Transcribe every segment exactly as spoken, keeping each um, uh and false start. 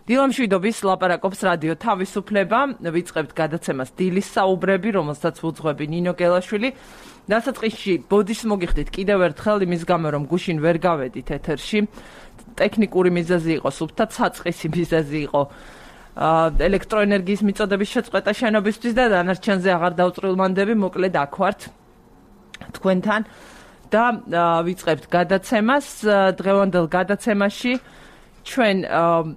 დილამშვიდობის ლაპარაკობს რადიო თავისუფლება, ვიწყებთ გადაცემას დილის საუბრები, რომელსაც ვუძღვები ნინო გელაშვილი. დასაწყისში ბოდის მოგიხდით კიდევ ერთხელ იმის გამო, რომ გუშინ ვერ გავედით ეთერში. ტექნიკური მიზეზი იყო, სუფთა საწყისი მიზეზი იყო. ელექტროენერგიის მიწოდების შეწყვეტა შენობისთვის და დანარჩენზე აღარ დავწვრილმანდები, მოკლედ აქ ვართ თქვენთან და ვიწყებთ გადაცემას. დღევანდელ გადაცემაში ჩვენ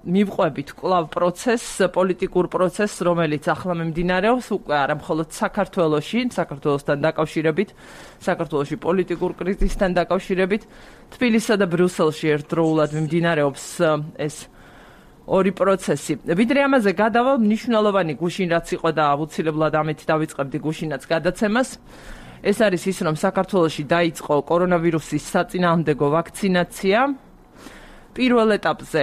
მივყვებით კვლავ პროცესს, პოლიტიკურ პროცესს, რომელიც ახლა მიმდინარეობს, უკვე არა მხოლოდ საქართველოში, საქართველოსთან დაკავშირებით, საქართველოში პოლიტიკურ კრიზისთან დაკავშირებით, თბილისსა და ბრიუსელში ერთდროულად მიმდინარეობს ეს ორი პროცესი. ვიდრე ამაზე გადავალ, მნიშვნელოვანი გუშინ რაც იყო და აუცილებლად ამით დავიწყებდი გუშინაც გადაცემას. ეს არის ის, რომ საქართველოში დაიწყო კორონავირუსის საწინააღმდეგო ვაქცინაცია. პირველ ეტაპზე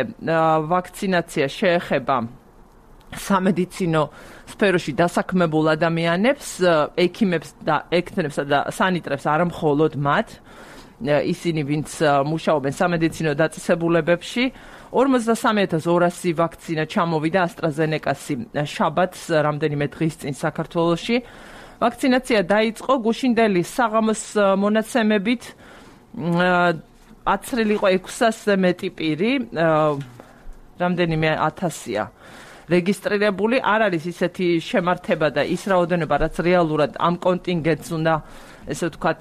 ვაქცინაცია შეეხება სამედიცინო სფეროში დასაქმებულ ადამიანებს, ექიმებს და ექთნებსა და სანიტრებს, არა მხოლოდ მათ, ისინი, ვინც მუშაობენ სამედიცინო დაწესებულებებში. ორმოცდასამი ათას ორასი ვაქცინა ჩამოვიდა AstraZeneca-ს შაბათს, რამდენიმე დღის წინ საქართველოში. ვაქცინაცია დაიწყო გუშინდელი საღამოს მონაცემებით. აცრილი იყო ექვსასზე მეტი პირი, რამდენიმე ათასია რეგისტრირებული. არ არის ისეთი შემართება და ის რაოდენობა, რაც რეალურად ამ კონტინგენტს უნდა, ესე ვთქვათ,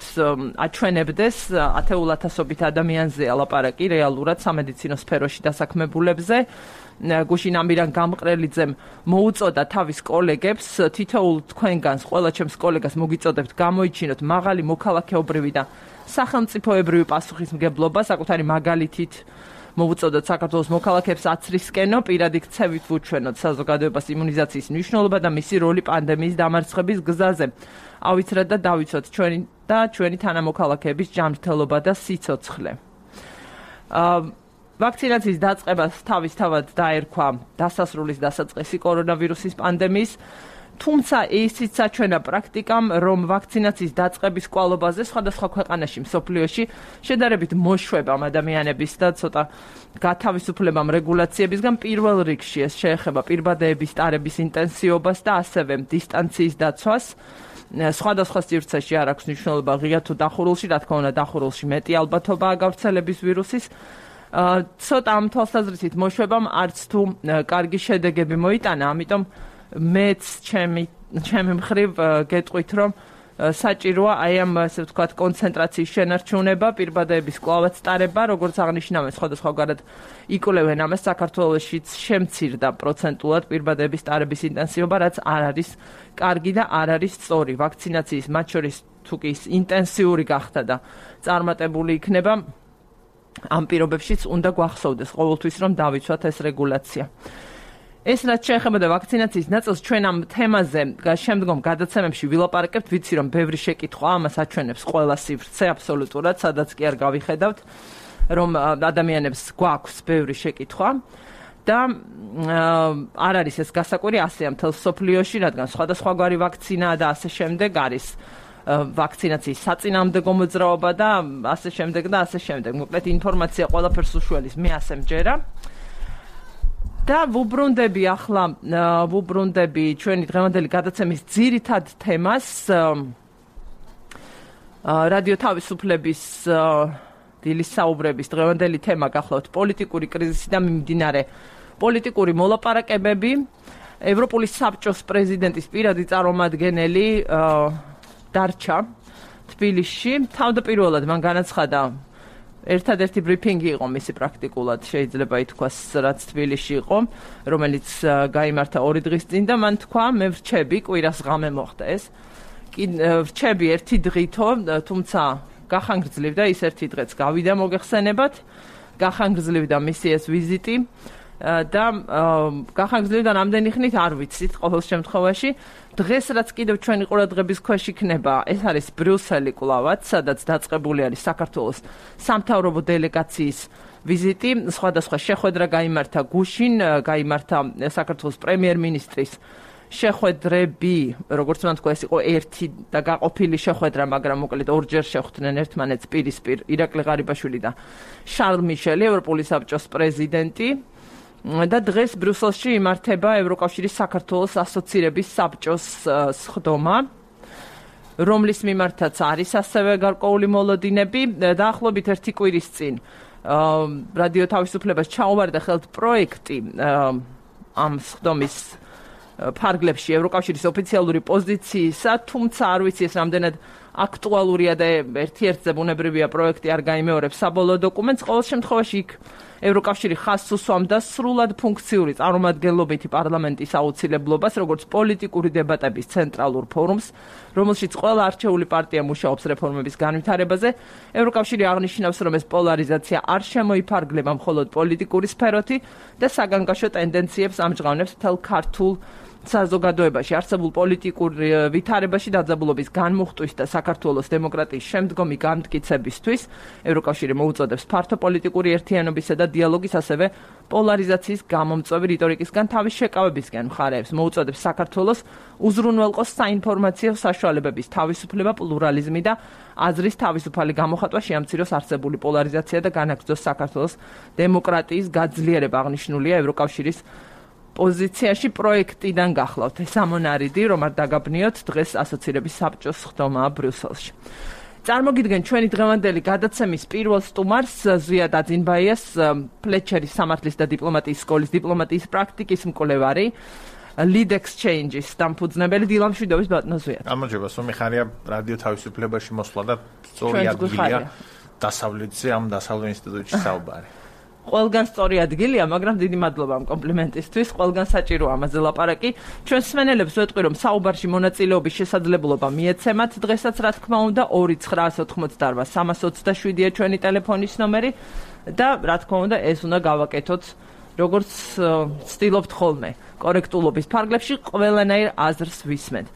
აჩვენებდეს, ათეულ ათასობით ადამიანზეა ლაპარაკი რეალურად სამედიცინო სფეროში დასაქმებულებზე. გუშინ ამირან გამყრელიძემ მოუწოდა თავის კოლეგებს, თითოეულ თქვენგანს, ყველა ჩემს კოლეგას მოგიწოდებთ გამოიჩინოთ მაღალი მოქალაქეობრივი და სახელმწიფოებრივი პასუხისმგებლობა, საკუთარი მაგალითით მოუწოდოთ საქართველოს მოქალაქეებს აცრისკენო, პირადი ქცევით ვუჩვენოთ საზოგადოებას იმუნიზაციის მნიშვნელობა და მისი როლი პანდემიის დამარცხების გზაზე. ავიცრად და დავიცოთ ჩვენი და ჩვენი თანამოქალაქეების ჯანმრთელობა და სიცოცხლე. ვაქცინაციის დაწყებას თავისთავად დაერქვა დასასრულის დასაწყისი კორონავირუსის პანდემიის, თუმცა ისიც საჩვენა პრაქტიკამ, რომ ვაქცინაციის დაწყების კვალობაზე სხვადასხვა ქვეყანაში მსოფლიოში შედარებით მოშვებამ ადამიანების და ცოტა გათავისუფლებამ რეგულაციებისგან პირველ რიგში ეს შეეხება პირბადეების ტარების ინტენსივობას და ასევე დისტანციის დაცვას. სხვადასხვა სივრცეში არ აქვს მნიშვნელობა ღია თუ დახურულში, რა თქმა უნდა დახურულში მეტი ალბათობაა გავრცელების ვირუსის. ცოტა ამ თვალსაზრისით მოშვებამ არც თუ კარგი შედეგები მოიტანა, ამიტომ მეც ჩემი ჩემი მხრივ გეტყვით, რომ საჭიროა აი ამ, ასე ვთქვათ, კონცენტრაციის შენარჩუნება, პირბადეების კვლავაც ტარება, როგორც აღნიშნავენ, სხვადასხვაგვარად იკვლევენ ამას, საქართველოშიც შემცირდა პროცენტულად პირბადეების ტარების ინტენსივობა, რაც არ არის კარგი და არ არის სწორი. ვაქცინაციის მათ შორის თუ კი ინტენსიური გახდა და წარმატებული იქნება, ამ პირობებშიც უნდა გვახსოვდეს ყოველთვის, რომ დავიცვათ ეს რეგულაცია. ეს რაც შეეხება და ვაქცინაციის ნაწილს, ჩვენ ამ თემაზე შემდგომ გადაცემებში ვილაპარაკებთ, ვიცი რომ ბევრი შეკითხვა ამას აჩვენებს ყველა სივრცე აბსოლუტურად, სადაც კი არ გავიხედავთ, რომ ადამიანებს გვაქვს ბევრი შეკითხვა და არ არის ეს გასაკვირი ასეა მთელ მსოფლიოში, რადგან სხვადასხვაგვარი ვაქცინაა და ასე შემდეგ არის ვაქცინაციის საწინააღმდეგო მოძრაობა და ასე შემდეგ და ასე შემდეგ. მოკლედ ინფორმაცია ყველაფერს უშველის, მე ასე მჯერა. და ვუბრუნდები ახლა, ვუბრუნდები ჩვენი დღევანდელი გადაცემის ძირითად თემას, რადიო თავისუფლების დილის საუბრების დღევანდელი თემა გახლავთ პოლიტიკური კრიზისი და მიმდინარე პოლიტიკური მოლაპარაკებები. ევროპული საბჭოს პრეზიდენტის პირადი წარმომადგენელი დარჩა თბილისში. თავდაპირველად მან განაცხადა, ერთადერთი ბრიფინგი იყო მისი პრაქტიკულად, შეიძლება ითქვას, რაც თბილისში იყო, რომელიც გაიმართა ორი დღის წინ და მან თქვა, მე ვრჩები, კვირას ღამე მოხდა ეს. ვრჩები ერთი დღითო, თუმცა გახანგრძლივდა ის ერთი დღეც გავიდა მოგეხსენებათ, გახანგრძლივდა მისი ეს ვიზიტი და გახანგრძლივდა რამდენი ხნით არ ვიცით ყოველ შემთხვევაში. დღეს რაც კიდევ ჩვენი ყურადღების ქვეშ იქნება, ეს არის ბრიუსელი კვლავაც, სადაც დაწყებული არის საქართველოს სამთავრობო დელეგაციის ვიზიტი. სხვადასხვა შეხვედრა გაიმართა გუშინ, გაიმართა საქართველოს პრემიერ-მინისტრის შეხვედრები, როგორც მან თქვა, ეს იყო ერთი და გაყოფილი შეხვედრა, მაგრამ მოკლედ ორჯერ შეხვდნენ ერთმანეთს პირისპირ ირაკლი ღარიბაშვილი და შარლ მიშელი, ევროპული საბჭოს პრეზიდენტი. და დღეს ბრიუსელში იმართება ევროკავშირის საქართველოს ასოცირების საბჭოს სხდომა, რომლის მიმართაც არის ასევე გარკვეული მოლოდინები. დაახლოებით ერთი კვირის წინ რადიო თავისუფლებას ჩაუვარდა ხელთ პროექტი ამ სხდომის ფარგლებში ევროკავშირის ოფიციალური პოზიციისა, თუმცა არ ვიცი ეს რამდენად აქტუალურია და ერთ-ერთზე ბუნებრივია პროექტი არ გაიმეორებს საბოლოო დოკუმენტს. ყოველ შემთხვევაში იქ ევროკავშირი ხაზს უსვამდა სრულად ფუნქციური წარმომადგენლობითი პარლამენტის აუცილებლობას, როგორც პოლიტიკური დებატების ცენტრალურ ფორუმს, რომელშიც ყველა არჩეული პარტია მუშაობს რეფორმების განვითარებაზე. ევროკავშირი აღნიშნავს, რომ ეს პოლარიზაცია არ შემოიფარგლება მხოლოდ პოლიტიკური სფეროთი და საგანგაშო ტენდენციებს ამჟღავნებს მთელ ქართულ საზოგადოებაში არსებულ პოლიტიკურ ვითარებაში დაძაბულობის განმუხტვის და საქართველოს დემოკრატიის შემდგომი განმტკიცებისთვის ევროკავშირი მოუწოდებს ფართო პოლიტიკური ერთიანობისა და დიალოგის, ასევე პოლარიზაციის გამომწვევი რიტორიკისგან თავის შეკავებისგან მხარეებს მოუწოდებს საქართველოს უზრუნველყოს საინფორმაციო საშუალებების თავისუფლება, პლურალიზმი და აზრის თავისუფალი გამოხატვა, შეამციროს არსებული პოლარიზაცია და განაგრძოს საქართველოს დემოკრატიის გაძლიერება. აღნიშნულია ევროკავშირის პოზიციაში პროექტიდან გახლავთ. ეს ამონარიდი, რომ არ დაგაბნიოთ, დღეს ასოცირების საბჭოს სხდომაა ბრიუსელში. წარმოგიდგენ ჩვენი დღევანდელი გადაცემის პირველ სტუმარს, ზვიად აძინბაიას, ფლეჩერის სამართლის და დიპლომატიის სკოლის დიპლომატიის პრაქტიკის მკვლევარი, lead exchange-ის დამფუძნებელი დილა მშვიდობის ბატონო ზვიად. გამარჯობა, სულ მიხარია რადიო თავისუფლებაში მოსვლა და სწორი ადგილია დასავლეთზე ამ დასავლეთ ინსტიტუტში საუბარი. ყველგან სწორი ადგილია, მაგრამ დიდი მადლობა ამ კომპლიმენტისთვის. ყველგან საჭიროა ამაზე ლაპარაკი. ჩვენ მსმენელებს ვეტყვი, რომ საუბარში მონაწილეობის შესაძლებლობა მიეცემათ. დღესაც რა თქმა უნდა ორი ცხრაას ოთხმოცდაარბა სამას ოცდაშვიდია ჩვენი ტელეფონის ნომერი და რა თქმა უნდა ეს უნდა გავაკეთოთ როგორც ვცდილობთ ხოლმე კორექტულობის ფარგლებში ყველანაირ აზრს ვისმენთ.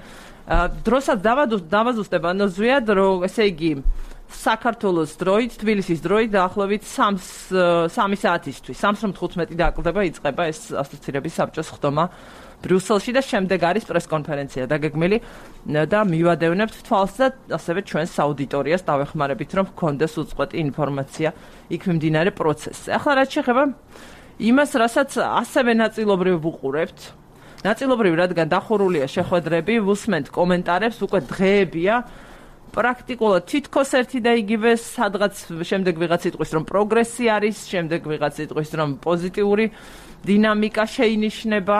დროსაც დავაზუსტებ ანუ ზვიად, რომ ესე იგი საქართველოს დროით, თბილისის დროით დაახლოებით სამი საათისთვის, სამს ოცდათხუთმეტი დააკლდება იწყება ეს ასოცირების საბჭოს სხდომა ბრიუსელში და შემდეგ არის პრესკონფერენცია დაგეგმილი და მივადევნებთ თვალს და ასევე ჩვენს აუდიტორიას დავეხმარებით, რომ გქონდეს უწყვეტი ინფორმაცია იქ მიმდინარე პროცესზე. ახლა რაც შეეხება იმას, რასაც ასევე ნაწილობრივ ვუყურებთ, ნაწილობრივ რადგან დახურულია შეხვედრები, ვუსმენთ კომენტარებს, უკვე დღეებია პრაქტიკულად თითქოს ერთი და იგივე, სადღაც შემდეგ ვიღაც იტყვის, რომ პროგრესი არის, შემდეგ ვიღაც იტყვის, რომ პოზიტიური დინამიკა შეინიშნება,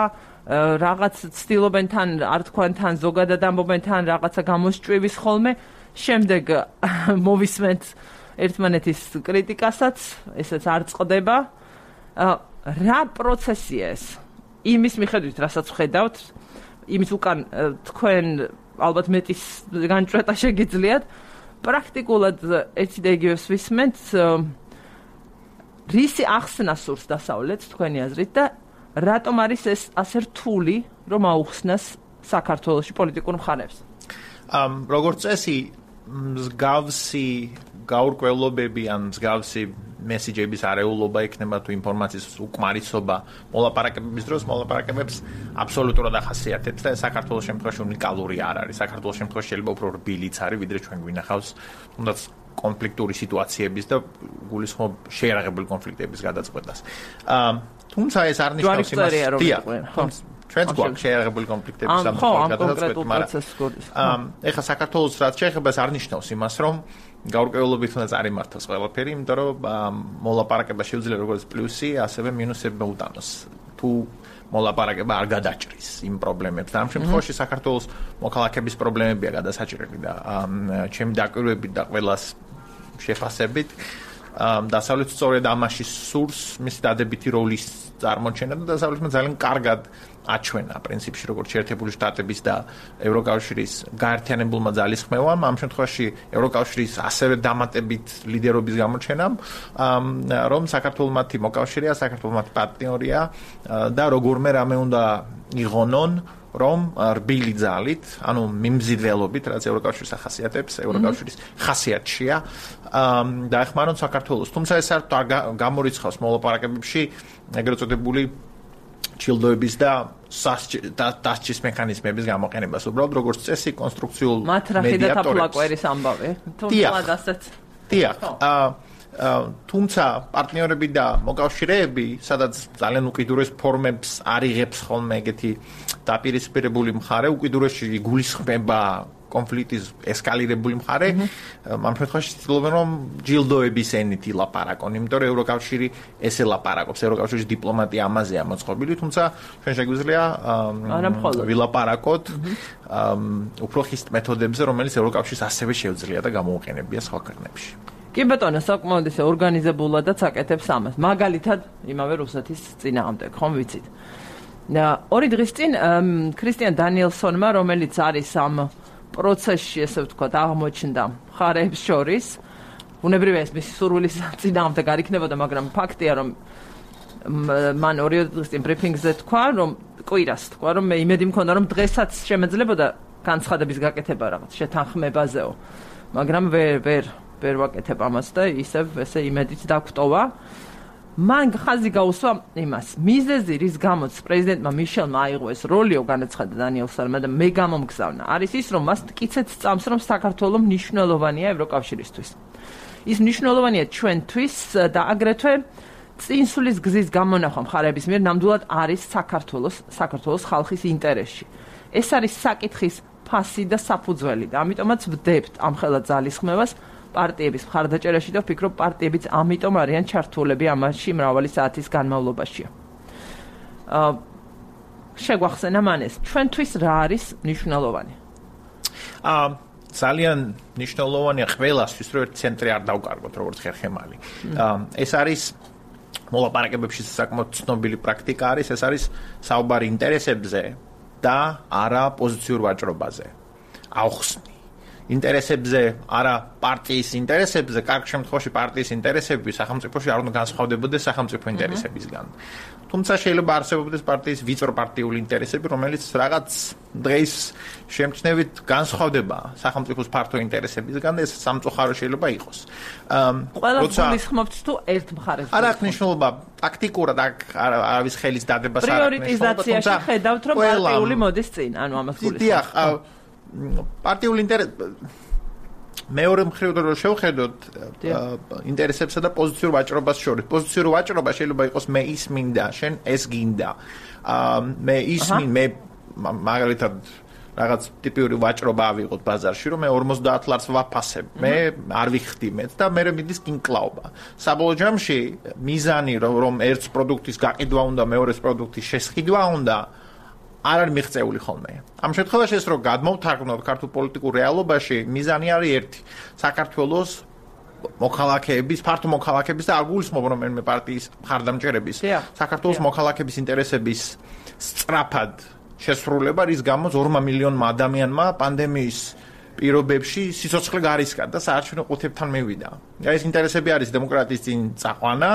რაღაც ცდილობენ თან, არ თქვან თან, ზოგადად ამბობენ თან რაღაცა გამოსჭვივის ხოლმე, შემდეგ მოვისმენთ ერთმანეთის კრიტიკასაც, ესეც არ წყდება. რა პროცესია ეს? იმის მიხედვით, რასაც ვხედავთ, იმის უკან თქვენ ალბათ მეტის განჭრეტა შეგიძლიათ, პრაქტიკულად ერთი და იგივეს ვისმენთ, რისი ახსნა სურს დასავლეთს თქვენი აზრით და რატომ არის ეს ასე რთული, რომ აუხსნას საქართველოში პოლიტიკურ მხარებს? როგორც წესი, მსგავსი გაურკვევლობები ან მსგავსი მესიჯების არეულობა იქნება თუ ინფორმაციის უკმარისობა მოლაპარაკებების დროს მოლაპარაკებებს აბსოლუტურად ახასიათებს და საქართველოს შემთხვევაში უნიკალური არ არის. საქართველოს შემთხვევაში შეიძლება უფრო რბილიც არის, ვიდრე ჩვენ გვინახავს, თუნდაც კონფლიქტური სიტუაციების და გულისხმობ შეიარაღებული კონფლიქტების გადაწყვეტას. თუმცა ეს არ ნიშნავს იმას, ჩვენც გვაქვს შეიარაღებული კონფლიქტების სამწუხაროდ გადაწყვეტა, მაგრამ ეხლა საქართველოს რაც შეეხება ეს არ ნიშნავს იმას, რომ გაურკვევლობით უნდა წარიმართოს ყველაფერი, იმიტომ რომ მოლაპარაკება შეუძლია როგორც პლუსი, ასევე მინუსები მოუტანოს. თუ მოლაპარაკება არ გადაჭრის იმ პრობლემებს. და ამ შემთხვევაში საქართველოს მოქალაქეების პრობლემებია გადასაჭრელი და ჩემი დაკვირვებით და ყველას შეფასებით დასავლეთ სწორედ ამაში სურს მისი დადებითი როლის წარმოჩენა და დასავლეთმა ძალიან კარგად აჩვენა პრინციპში როგორც შეერთებული შტატების და ევროკავშირის გაერთიანებულმა ძალისხმევამ, ამ შემთხვევაში ევროკავშირის ასევე დამატებით ლიდერობის გამოჩენამ, რომ საქართველოს მათი მოკავშირეა, საქართველოს მათი პარტნიორია და როგორმე რამე უნდა იღონონ, რომ რბილი ძალით, ანუ მიმზიდველობით, რაც ევროკავშირის ახასიათებს, ევროკავშირის ხასიათშია, დაეხმარონ საქართველოს. თუმცა ეს არ გამორიცხავს მოლაპარაკებებში ეგრეთ წოდებული ჩილდოების და დასჯის მექანიზმების გამოყენებას. უბრალოდ როგორც წესი კონსტრუქციულ მათრახი და თაფლაკვერის ამბავი. თუმცა ასეც. დიახ. თუმცა პარტნიორები და მოკავშირეები, სადაც ძალიან უკიდურეს ფორმებს არიღებს ხოლმე ეგეთი დაპირისპირებული მხარე, უკიდურესში გულისხმება კონფლიქტის ესკალირებული მხარე, ამ შემთხვევაში ცდილობენ რომ ჯილდოების ენით ილაპარაკონ, იმიტომ რომ ევროკავშირი ესე ლაპარაკობს, ევროკავშირის დიპლომატია ამაზეა მოწყობილი, თუმცა ჩვენ შეგვიძლია ვილაპარაკოთ უფრო ხისტ მეთოდებზე, რომელიც ევროკავშირს ასევე შეუძლია და გამოუყენებია სხვა ქვეყნებში. კი ბატონო, საკმაოდ ისე ორგანიზებულადაც აკეთებს ამას. მაგალითად, იმავე რუსეთის წინააღმდეგ, ხომ ვიცით. ორი დღის წინ ქრისტიან დანიელსონმა, რომელიც არის ამ პროცესში, ესე ვთქვათ, აღმოჩნდა მხარეებს შორის, უნებრივია ეს მისი სურვილის წინააღმდეგ არ იქნებოდა, მაგრამ ფაქტია, რომ მან ორი დღის წინ ბრიფინგზე თქვა, რომ კვირას თქვა, რომ მე იმედი მქონდა, რომ დღესაც შემეძლებოდა განცხადების გაკეთება რაღაც შეთანხმებაზეო, მაგრამ ვერ ვერ ვერ ვაკეთებ ამას და ისევ ესე იმედით დაგვტოვა. მან ხაზი გაუსვა იმას. მიზეზი, რის გამოც პრეზიდენტმა მიშელმა აიღო ეს როლიო, განაცხადა დანიელსონმა და მე გამომგზავნა, არის ის, რომ მას მტკიცედ სწამს, რომ საქართველოს მნიშვნელოვანია ევროკავშირისთვის. ის მნიშვნელოვანია ჩვენთვის და აგრეთვე წინსulis გზის გამონახვა მხარეების მიერ ნამდვილად არის საქართველოს საქართველოს ხალხის ინტერესში. ეს არის საკითხის ფასი და საფუძველი და ამიტომაც ვდებთ ამ ხელა ძალისხმევას პარტიების მხარდაჭერაში და ვფიქრობ პარტიებიც ამიტომ არიან ჩართულები ამაში მრავალი საათის განმავლობაში. აა შეგვახსენა მან ეს ჩვენთვის რა არის მნიშვნელოვანი? აა ძალიან მნიშვნელოვანია ყველასთვის, რომ ერთ ცენტრი არ დავკარგოთ, როგორც ხერხემალი. აა ეს არის მოლაპარაკებებში საკმაოდ ცნობილი პრაქტიკა არის, ეს არის საუბარი ინტერესებზე და არა პოზიციურ ვაჭრობაზე. აუხსნი ინტერესებზე, არა პარტიის ინტერესებზე, კარგ შემთხვევაში პარტიის ინტერესები სახელმწიფოში არ უნდა განსხვავდებოდეს სახელმწიფო ინტერესებისგან. თუმცა შეიძლება არსებობდეს პარტიის ვიწრო პარტიული ინტერესები, რომელიც რაღაც დღის შემჩნევით განსხვავდება სახელმწიფოს ფართო ინტერესებისგან და ეს სამწუხარო შეიძლება იყოს. ყველა გულისხმობთ თუ ერთ მხარეს. არ აქვს მნიშვნელობა ტაქტიკურად არავის ხელის დადებას არ აქვს. პრიორიტიზაციაში ხედავთ, რომ პარტიული მოდის წინ, ანუ ამას გულისხმობთ. პარტიული ინტერესი მეორე მხრიდან რომ შევხედოთ ინტერესებსა და პოზიციურ ვაჭრობას შორის. პოზიციურ ვაჭრობა შეიძლება იყოს მე ის მინდა, შენ ეს გინდა. მე ის მინდა, მე მაგალითად რაღაც ტიპიური ვაჭრობა ავიღოთ ბაზარში, რომ მე ორმოცდაათ ლარს ვაფასებ. მე არ ვიხდი მეც და მე მიდის კინკლაობა. საბოლოო ჯამში მიზანი რომ ერთ პროდუქტის გაყიდვა უნდა, მეორეს პროდუქტის შესყიდვა უნდა არ არის მიღწეული ხოლმე. ამ შემთხვევაში ეს რომ გადმოვთარგმნოთ ქართულ პოლიტიკურ რეალობაში, მიზანი არის ერთი. საქართველოს მოქალაქეების, ფართო მოქალაქეების და არ გულისხმობ რომელიმე პარტიის მხარდამჭერების, საქართველოს მოქალაქეების ინტერესების სწრაფად შესრულება, რის გამოც ორმა მილიონმა ადამიანმა პანდემიის პირობებში სიცოცხლე გარისკა და საარჩევნო ყუთებთან მივიდა. ეს ინტერესები არის დემოკრატიის წინ წაყვანა,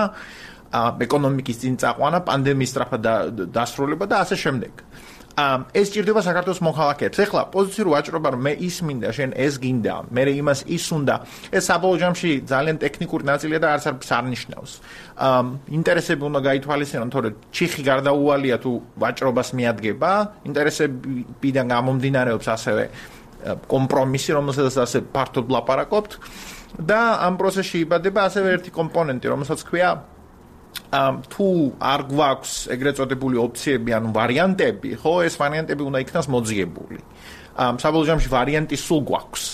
ეკონომიკის წინ წაყვანა, პანდემიის სწრაფად დასრულება და ასე შემდეგ. ეს ჭირდება საქართველოს მოქალაქეებს. ეხლა პოზიციურ ვაჭრობა რომ მე ის მინდა, შენ ეს გინდა, მე იმას ის უნდა. ეს საბოლოო ჯამში ძალიან ტექნიკური ნაწილია და არც არც არ ნიშნავს. ინტერესები უნდა გაითვალისწინონ, თორე ჩიხი გარდაუვალია თუ ვაჭრობას მიადგება, ინტერესებიდან გამომდინარეობს ასევე კომპრომისი, რომელსაც ასე ფართოდ ლაპარაკობთ და ამ პროცესში იბადება ასევე ერთი კომპონენტი, რომელსაც ქვია თუ არ გვაქვს ეგრეთ წოდებული ოფციები, ანუ ვარიანტები, ხო, ეს ვარიანტები უნდა იქნას მოძიებული. საბოლოო ჯამში ვარიანტი სულ გვაქვს.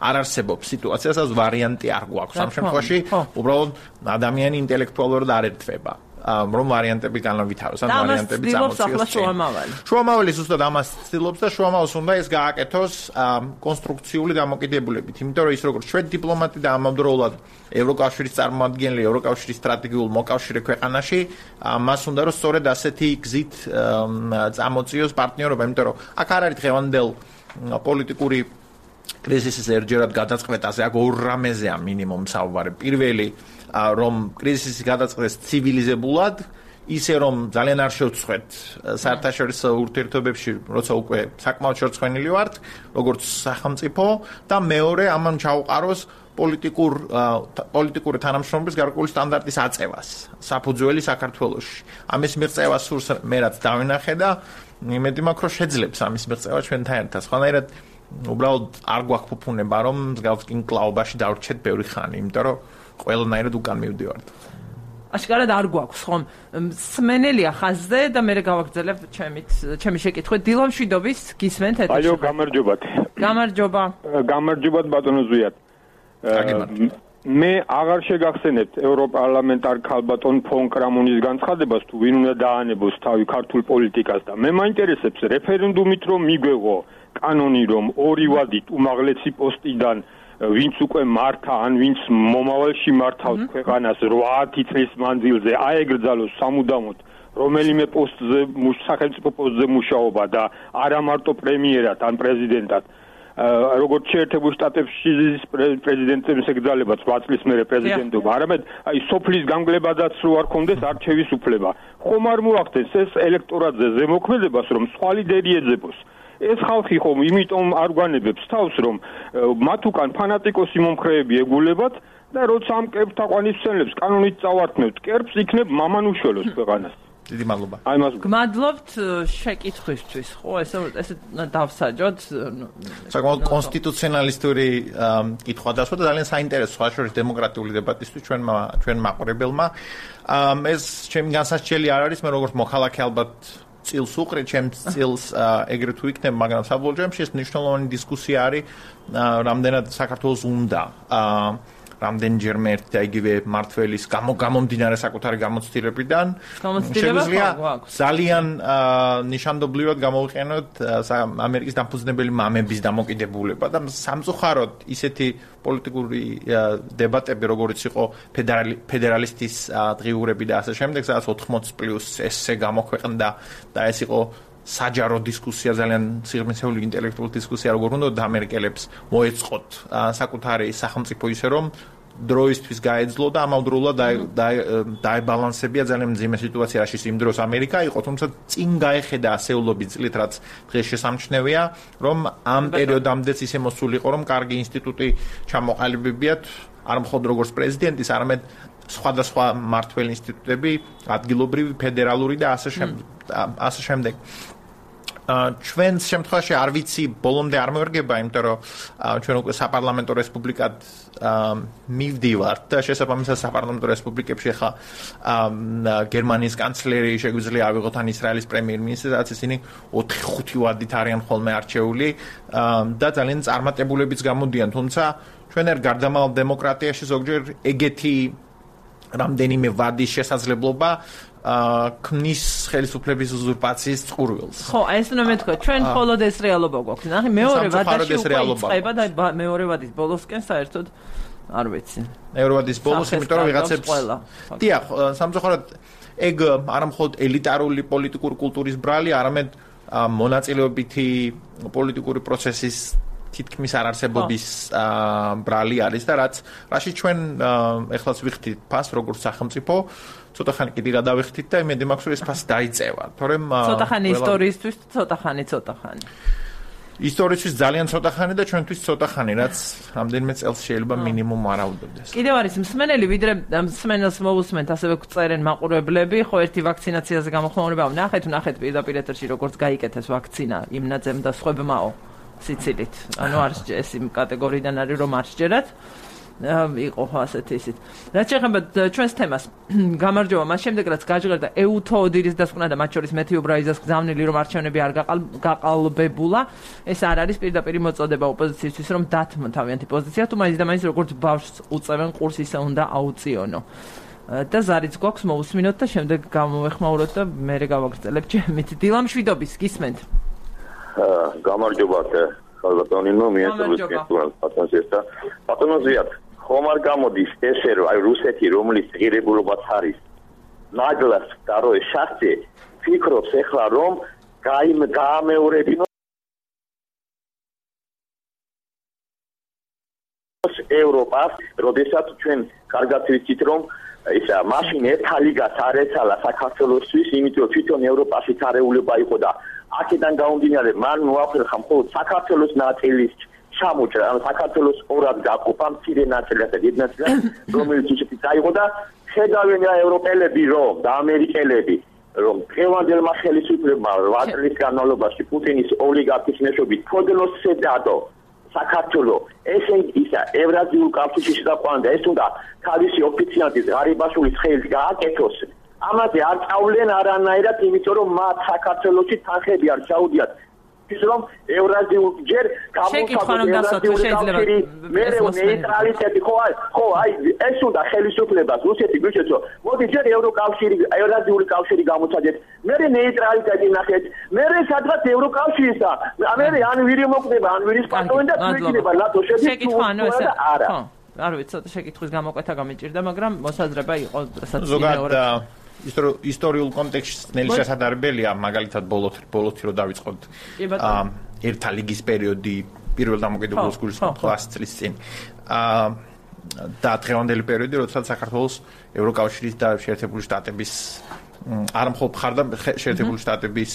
არ არსებობს სიტუაცია, სადაც ვარიანტი არ გვაქვს. ამ შემთხვევაში უბრალოდ ადამიანი ინტელექტუალურად არ ერთვება. რომ ვარიანტები განავითაროს, ან ვარიანტები წამოწიოს. შუამავალი. შუამავალი ზუსტად ამას ცდილობს და შუამავალს უნდა ეს გააკეთოს კონსტრუქციული დამოკიდებულებით, იმიტომ რომ ის როგორც შვედი დიპლომატი და ამავდროულად ევროკავშირის წარმომადგენელი, ევროკავშირის სტრატეგიულ მოკავშირე ქვეყანაში, მას უნდა რომ სწორედ ასეთი გზით წამოწიოს პარტნიორობა, იმიტომ რომ აქ არ არის დღევანდელ პოლიტიკური კრიზისის ერჯერად გადაწყვეტაზე, აქ ორ რამეზეა მინიმუმ საუბარი. პირველი რომ კრიზისი გადაწყვეტეს ცივილიზებულად, ისე რომ ძალიან არ შევწყვეთ საერთაშორისო ურთიერთობებში, როცა უკვე საკმაოდ შორცხვენილი ვართ, როგორც სახელმწიფო და მეორე ამან ჩაუყაროს პოლიტიკურ პოლიტიკური თანამშრომლობის გარკვეული სტანდარტის აწევას საფუძველი საქართველოში. ამის მიღწევა სურს მე რაც დავინახე და იმედი მაქვს რომ შეძლებს ამის მიღწევა ჩვენთან ერთად. სხვანაირად უბრალოდ არ გვაქვს ფუფუნება რომ მსგავს კინკლაობაში დავრჩეთ ბევრი ხანი, იმიტომ რომ ყველანაირად უკან მივდივართ. აშკარად არ გვაქვს ხომ სმენელია ხაზზე და მე გავაგრძელებ ჩემით ჩემი შეკითხვით დილა მშვიდობის გისმენთ ეთერში. აიო გამარჯობათ. გამარჯობა. გამარჯობათ ბატონო ზვიად. მე აღარ შეგახსენებთ ევროპარლამენტარ ქალბატონ ფონ კრამონის განცხადებას თუ ვინ უნდა დაანებოს თავი ქართულ პოლიტიკას და მე მაინტერესებს რეფერენდუმით რომ მიგვეღო კანონი რომ ორი ვადით უმაღლესი პოსტიდან ვინც უკვე მართა ან ვინც მომავალში მართავს ქვეყანას რვაათი წლის მანძილზე აეგრძალოს სამუდამოდ რომელიმე პოსტზე სახელმწიფო პოსტზე მუშაობა და არა მარტო პრემიერად ან პრეზიდენტად როგორც შეერთებულ შტატებში პრეზიდენტებს ეკრძალებათ რვა წლის მერე პრეზიდენტობა არამედ აი სოფლის გამგლებადაც რო არ კონდეს არჩევის უფლება ხომ არ მოახდენს ეს ელექტორატზე ზემოქმედებას რომ სხვა ლიდერი ეძებოს ეს ხალხი ხომ იმიტომ არ გვანებებს თავს რომ მათ უკან ფანატიკოსი მომხრეები ეგულებათ და როცა ამ კერპს თაყვანისმცემლებს კანონით წავართმევთ კერპს იქნებ მამანუშველოს ქვეყანას დიდი მადლობა. აი მას გმადლობთ შეკითხვისთვის, ხო, ესე ესე დავსაჯოთ. საკმაოდ კონსტიტუციონალისტური კითხვა დასვა და ძალიან საინტერესო ხაშურის დემოკრატიული დებატისთვის ჩვენ ჩვენ მაყურებელმა. ეს ჩემი განსასჯელი არ არის, მე როგორც მოქალაქე ალბათ წილს უყრე, ჩემს წილს ეგრეთ თუ იქნება, მაგრამ საბოლოო ჯამში ეს მნიშვნელოვანი დისკუსია არის, რამდენად საქართველოს უნდა რამდენჯერმე ერთ და იგივე მართველის გამომდინარე საკუთარი გამოცდილებიდან შეგვიძლია ძალიან ნიშანდობლივად გამოვიყენოთ ამერიკის დამფუძნებელი მამების დამოკიდებულება და სამწუხაროდ ისეთი პოლიტიკური დებატები როგორც იყო ფედერალისტის დღიურები და ასე შემდეგ სადაც ოთხმოცი პლუს ესე გამოქვეყნდა და ეს იყო საჯარო დისკუსია ძალიან სიღრმისეული ინტელექტუალური დისკუსია როგორ უნდა ამერიკელებს მოეწყოთ საკუთარი სახელმწიფო ისე რომ დროისთვის გაეძლო და ამავდროულად დაებალანსებია ძალიან მძიმე სიტუაცია რაშიც იმ დროს ამერიკა იყო თუმცა წინ გაეხედა ასეულობის წლით რაც დღეს შესამჩნევია რომ ამ პერიოდამდეც ისე მოსულიყო რომ კარგი ინსტიტუტი ჩამოყალიბებიათ არ მხოლოდ როგორც პრეზიდენტის არამედ სხვადასხვა მმართველ ინსტიტუტები ადგილობრივი ფედერალური და ასე შემდეგ ასე შემდეგ ჩვენს შემთხვევაში არ ვიცი ბოლომდე არ მევერგება იმიტომ რომ ჩვენ უკვე საპარლამენტო რესპუბლიკად მივდივართ და შესაბამისად საპარლამენტო რესპუბლიკებში ახლა გერმანიის კანცლერი შეგვიძლია ავიღოთ ან ისრაელის პრემიერ-მინისტრი რაც ისინი ოთხი ხუთი ვადით არიან ხოლმე არჩეული და ძალიან წარმატებულებიც გამოდიან თუმცა ჩვენ ერთ გარდამავალ დემოკრატიაში ზოგჯერ ეგეთი რამდენიმე ვადის შესაძლებლობა ქმნის ხელისუფლების უზურპაციის წყურვილს. ხო, ეს უნდა მეთქვა, ჩვენ მხოლოდ ეს რეალობა გვაქვს. ნახე, მეორე ვადაში უკვე იწყება და მეორე ვადის ბოლოსკენ საერთოდ არ ვიცი. მეორე ვადის ბოლოს, იმიტომ რომ ვიღაცებს დიახ, სამწუხაროდ ეგ არა მხოლოდ ელიტარული პოლიტიკური კულტურის ბრალი, არამედ მონაწილეობითი პოლიტიკური პროცესის თითქმის არარსებობის ბრალი არის და რაც რაშიც ჩვენ ეხლაც ვიხდით ფას როგორც სახელმწიფო ცოტა ხანი კიდე გადავიხდით და იმედი მაქვს რომ ეს ფასი დაიწევა თორემ ცოტა ხანი ისტორიისთვის ცოტა ხანი ცოტა ხანი ისტორიისთვის ძალიან ცოტა ხანი და ჩვენთვის ცოტა ხანი რაც რამდენიმე წელს შეიძლება მინიმუმ არაუდობდეს კიდევ არის მსმენელი ვიდრე მსმენელს მოусმენთ ასევე წერენ მაყურებლები ხო ერთი ვაქცინაციაზე გამოხმაურება ნახეთ ნახეთ პირდაპირ ეთერში როგორც გაიკეთეს ვაქცინა იმ ნაძემ და სხვებმაო სიცილით. ანუ არ ეს იმ კატეგორიიდან არის რომ არ შეერათ. იყო ასეთი ისეთ. რაც შეეხება ჩვენს თემას, გამარჯობა, მას შემდეგ რაც გაჟღერდა ეუთო ოდირის დასკვნა და მათ შორის მეთიუ ბრაიზას გზავნილი რომ არჩევნები არ გაყალბებულა, ეს არ არის პირდაპირ მოწოდება ოპოზიციისთვის რომ დათმო თავიანთი პოზიცია, თუ მაინც და მაინც როგორც ბავშვს უწევენ ყურს ისე უნდა აუწიონო. და ზარიც გვაქვს მოусმინოთ და შემდეგ გამოვეხმაუროთ და მე გავაგრძელებ ჩემით. დილა მშვიდობის, გისმენთ. გამარჯობათ ხალბატონინო მიესწრებს პატონს და პატონოზიათ ხომ არ გამოდის ესე რომ აი რუსეთი რომლის ღირებულობაც არის ნაგლას და რო შახტე ფიქრობს ეხლა რომ გაიმ გაამეორებინოს ევროპას როდესაც ჩვენ კარგად ვიცით რომ ისა მაშინ ერთა ლიგას არ ეცალა საქართველოსთვის იმიტომ თვითონ ევროპაში თარეულობა იყო და აქედან გამომდინარე მან მოახერხა მხოლოდ საქართველოს ნაწილის ჩამოჭრა, ანუ საქართველოს ორად გაყოფა მცირე ნაწილად და დიდ ნაწილად, რომელიც ისეთი წაიღო და ხედავენ რა ევროპელები რომ და ამერიკელები რომ დღევანდელმა ხელისუფლებმა რვა წლის განმავლობაში პუტინის ოლიგარქის მეშვეობით ფოდლოსზე დადო საქართველო ესე ისა ევრაზიულ კავშირში შეყვანდა ეს უნდა თავისი ოფიციალების ღარიბაშვილის ხელით გააკეთოს ამაზე არ წავლენ არანაირად იმიტომ რომ მათ საქართველოში თანხები არ ჩაუდიათ ის რომ ევრაზიულ ჯერ გამოსაგებად მე ნეიტრალიტეტი ხო აი ხო აი ეს უნდა ხელისუფლებას რუსეთი გვიჩვენო მოდი ჯერ ევროკავშირი ევრაზიული კავშირი გამოსაგეთ მე ნეიტრალიტეტი ნახეთ მე სადღაც ევროკავშირისა მე ან ვირი მოკვდება ან ვირის პარტოვენ და თვითინება ნატო შედის არა არ ვიცი ცოტა შეკითხვის გამოკვეთა გამიჭირდა მაგრამ მოსაზრება იყო რასაც ისტორიულ კონტექსტში ნელი შესაძლებელია მაგალითად ბოლოთი რო დავიწყოთ ერთა ლიგის პერიოდი პირველ დამოუკიდებლობის გულისხმობს წლის წინ და დღევანდელი პერიოდი როდესაც საქართველოს ევროკავშირის და შეერთებული შტატების არ მხოლოდ შეერთებული შტატების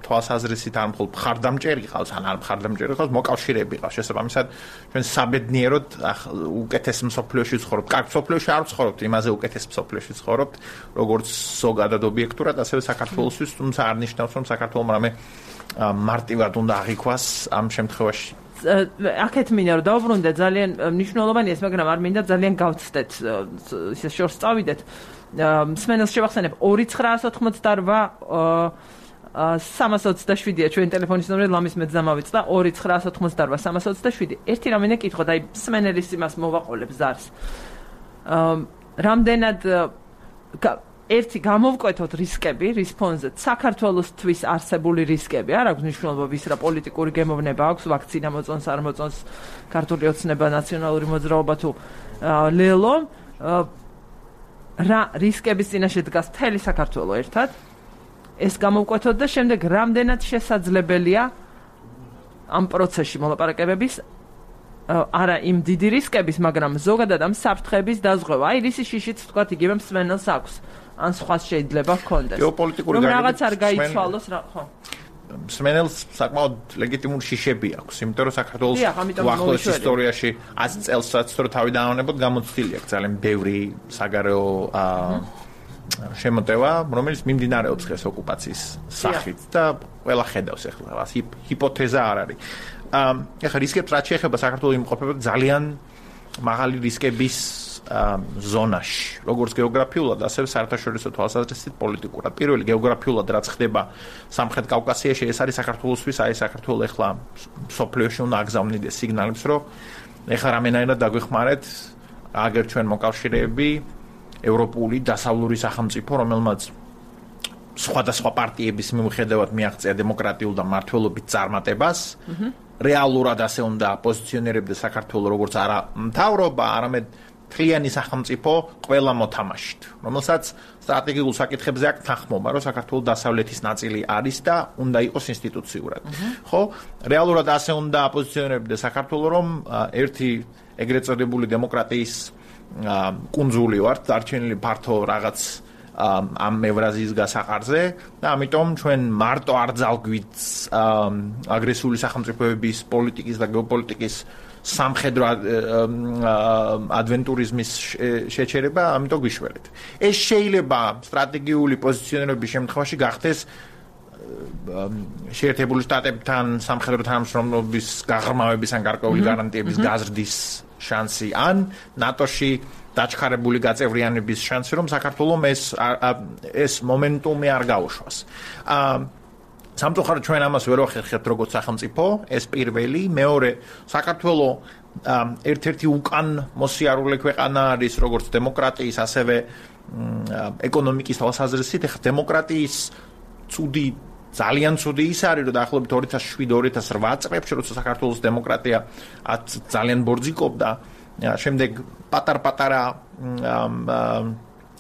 თვალსაზრისით არ მხოლოდ მხარდამჭერი ყავს ან არ მხარდამჭერი ყავს მოკავშირეები ყავს შესაბამისად ჩვენ საბედნიეროდ უკეთეს მსოფლიოში ვცხოვრობთ კარგ მსოფლიოში არ ვცხოვრობთ იმაზე უკეთეს მსოფლიოში ვცხოვრობთ როგორც ზოგადად ობიექტურად ასევე საქართველოსთვის თუმცა არ ნიშნავს რომ საქართველოს რამე მარტივად უნდა აღიქვას ამ შემთხვევაში აქეთ მინდა რომ დავბრუნდეთ ძალიან მნიშვნელოვანია ეს მაგრამ არ მინდა ძალიან გავცდეთ ისე შორს წავიდეთ მსმენელს შევახსენებ ორი ცხრაას ოთხმოცდაორვა სამას ოცდაშვიდია ჩვენ ტელეფონის ნომერი ლამის მეც დამავიწყდა ორი ცხრაას ოთხმოცდაორვა სამას ოცდაშვიდი ერთი რამე კითხოთ აი მსმენელის იმას მოვაყოლებ ზარს რამდენად ერთი გამოვკვეთოთ რისკები რის ფონზე საქართველოსთვის არსებული რისკები არ აქვს მნიშვნელობა ვის რა პოლიტიკური გემოვნება აქვს ვაქცინა მოწონს არ მოწონს ქართული ოცნება ნაციონალური მოძრაობა თუ ლელო რა რისკების წინაშე დგას მთელი საქართველო ერთად ეს გამოვკვეთოთ და შემდეგ რამდენად შესაძლებელია ამ პროცესში მოლაპარაკებების არა იმ დიდი რისკების მაგრამ ზოგადად ამ საფრთხების დაზღვევა აი რისი შიშიც თქვათ იგივე მსმენელს აქვს ან სხვას შეიძლება ჰქონდეს გეოპოლიტიკური რომ რაღაც არ გაიცვალოს რა ხო მსმენელს საკმაოდ ლეგიტიმური შიშები აქვს იმიტომ რომ საქართველოს უახლოეს ისტორიაში ას წელსაც რო თავი დაანებოთ გამოცდილი აქვს ძალიან ბევრი საგარეო შემოტევა, რომელიც მიმდინარეობს ხეს ოკუპაციის სახით და ყველა ხედავს ახლა რას ჰიპოთეზა არ არის. ახლა რისკებს რაც შეეხება საქართველოს იმყოფება ძალიან მაღალი რისკების ზონაში, როგორც გეოგრაფიულად, ასევე საერთაშორისო თვალსაზრისით პოლიტიკურად. პირველი გეოგრაფიულად რაც ხდება სამხრეთ კავკასიაში, ეს არის საქართველოსთვის, აი საქართველოს ახლა სოფლიოში უნდა აგზავნიდეს სიგნალებს, რომ ახლა რამენაირად დაგვეხმარეთ, აგერ ჩვენ მოკავშირეები ევროპული დასავლური სახელმწიფო, რომელმაც სხვადასხვა პარტიების მიუხედავად მიაღწია დემოკრატიულ და მმართველობით წარმატებას, რეალურად ასე უნდა პოზიციონირებდა საქართველოს როგორც არა მთავრობა, არამედ მთლიანი სახელმწიფო ყველა მოთამაშით, რომელსაც სტრატეგიულ საკითხებზე აქვს თანხმობა, რომ საქართველოს დასავლეთის ნაწილი არის და უნდა იყოს ინსტიტუციურად. ხო, რეალურად ასე უნდა პოზიციონირებდა საქართველოს, რომ ერთი ეგრეთ წოდებული დემოკრატიის კუნძული ვართ, დარჩენილი ფართო რაღაც ამ ევრაზიის გასაყარზე და ამიტომ ჩვენ მარტო არ ძალგვით აგრესიული სახელმწიფოების პოლიტიკის და გეოპოლიტიკის სამხედრო ადვენტურიზმის შეჩერება, ამიტომ გვიშველეთ. ეს შეიძლება სტრატეგიული პოზიციონირების შემთხვევაში გახდეს შეერთებული შტატებთან სამხედრო თანამშრომლობის გაღრმავების ან გარკვეული გარანტიების გაზრდის შანსი ან ნატოში დაჩქარებული გაწევრიანების შანსი, რომ საქართველოს ეს ეს მომენტუმი არ გაუშვას. სამწუხაროდ ჩვენ ამას ვერ ვახერხებთ როგორც სახელმწიფო, ეს პირველი, მეორე საქართველოს ერთ-ერთი უკან მოსიარულე ქვეყანა არის როგორც დემოკრატიის, ასევე ეკონომიკის თვალსაზრისით, ეხლა დემოკრატიის ცუდი ძალიან ცუდი ის არის, რომ დაახლოებით ორი ათას შვიდ ორი ათას რვა წლებში, როცა საქართველოს დემოკრატია ძალიან ბორძიკობდა, შემდეგ პატარ-პატარა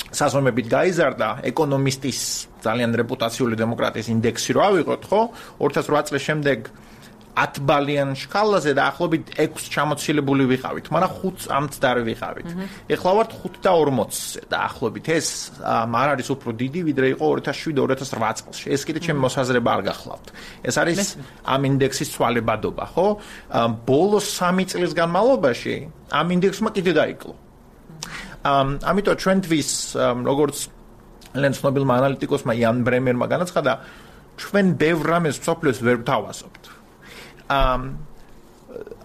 საზომებით გაიზარდა ეკონომისტის ძალიან რეპუტაციული დემოკრატიის ინდექსი რო ავიღოთ, ხო? ორი ათას რვა წლის შემდეგ ათ ბალიან შკალაზე დაახლოებით ექვსი ჩამოცილებული ვიყავით, მაგრამ ხუთს ამცდარი ვიყავით. ეხლა ვართ ხუთ და ორმოცზე დაახლოებით. ეს არ არის უფრო დიდი, ვიდრე იყო ორი ათას შვიდ ორი ათას რვა წელს. ეს კიდე ჩემი მოსაზრება არ გახლავთ. ეს არის ამ ინდექსის ცვალებადობა, ხო? ბოლოს სამი წლის განმავლობაში ამ ინდექსმა კიდე დაიკლო. ამიტომ ჩვენთვის როგორც ლენ ცნობილმა ანალიტიკოსმა იან ბრემერმა განაცხადა, ჩვენ ბევრ რამეს მსოფლიოს ვერ ვთავაზობთ.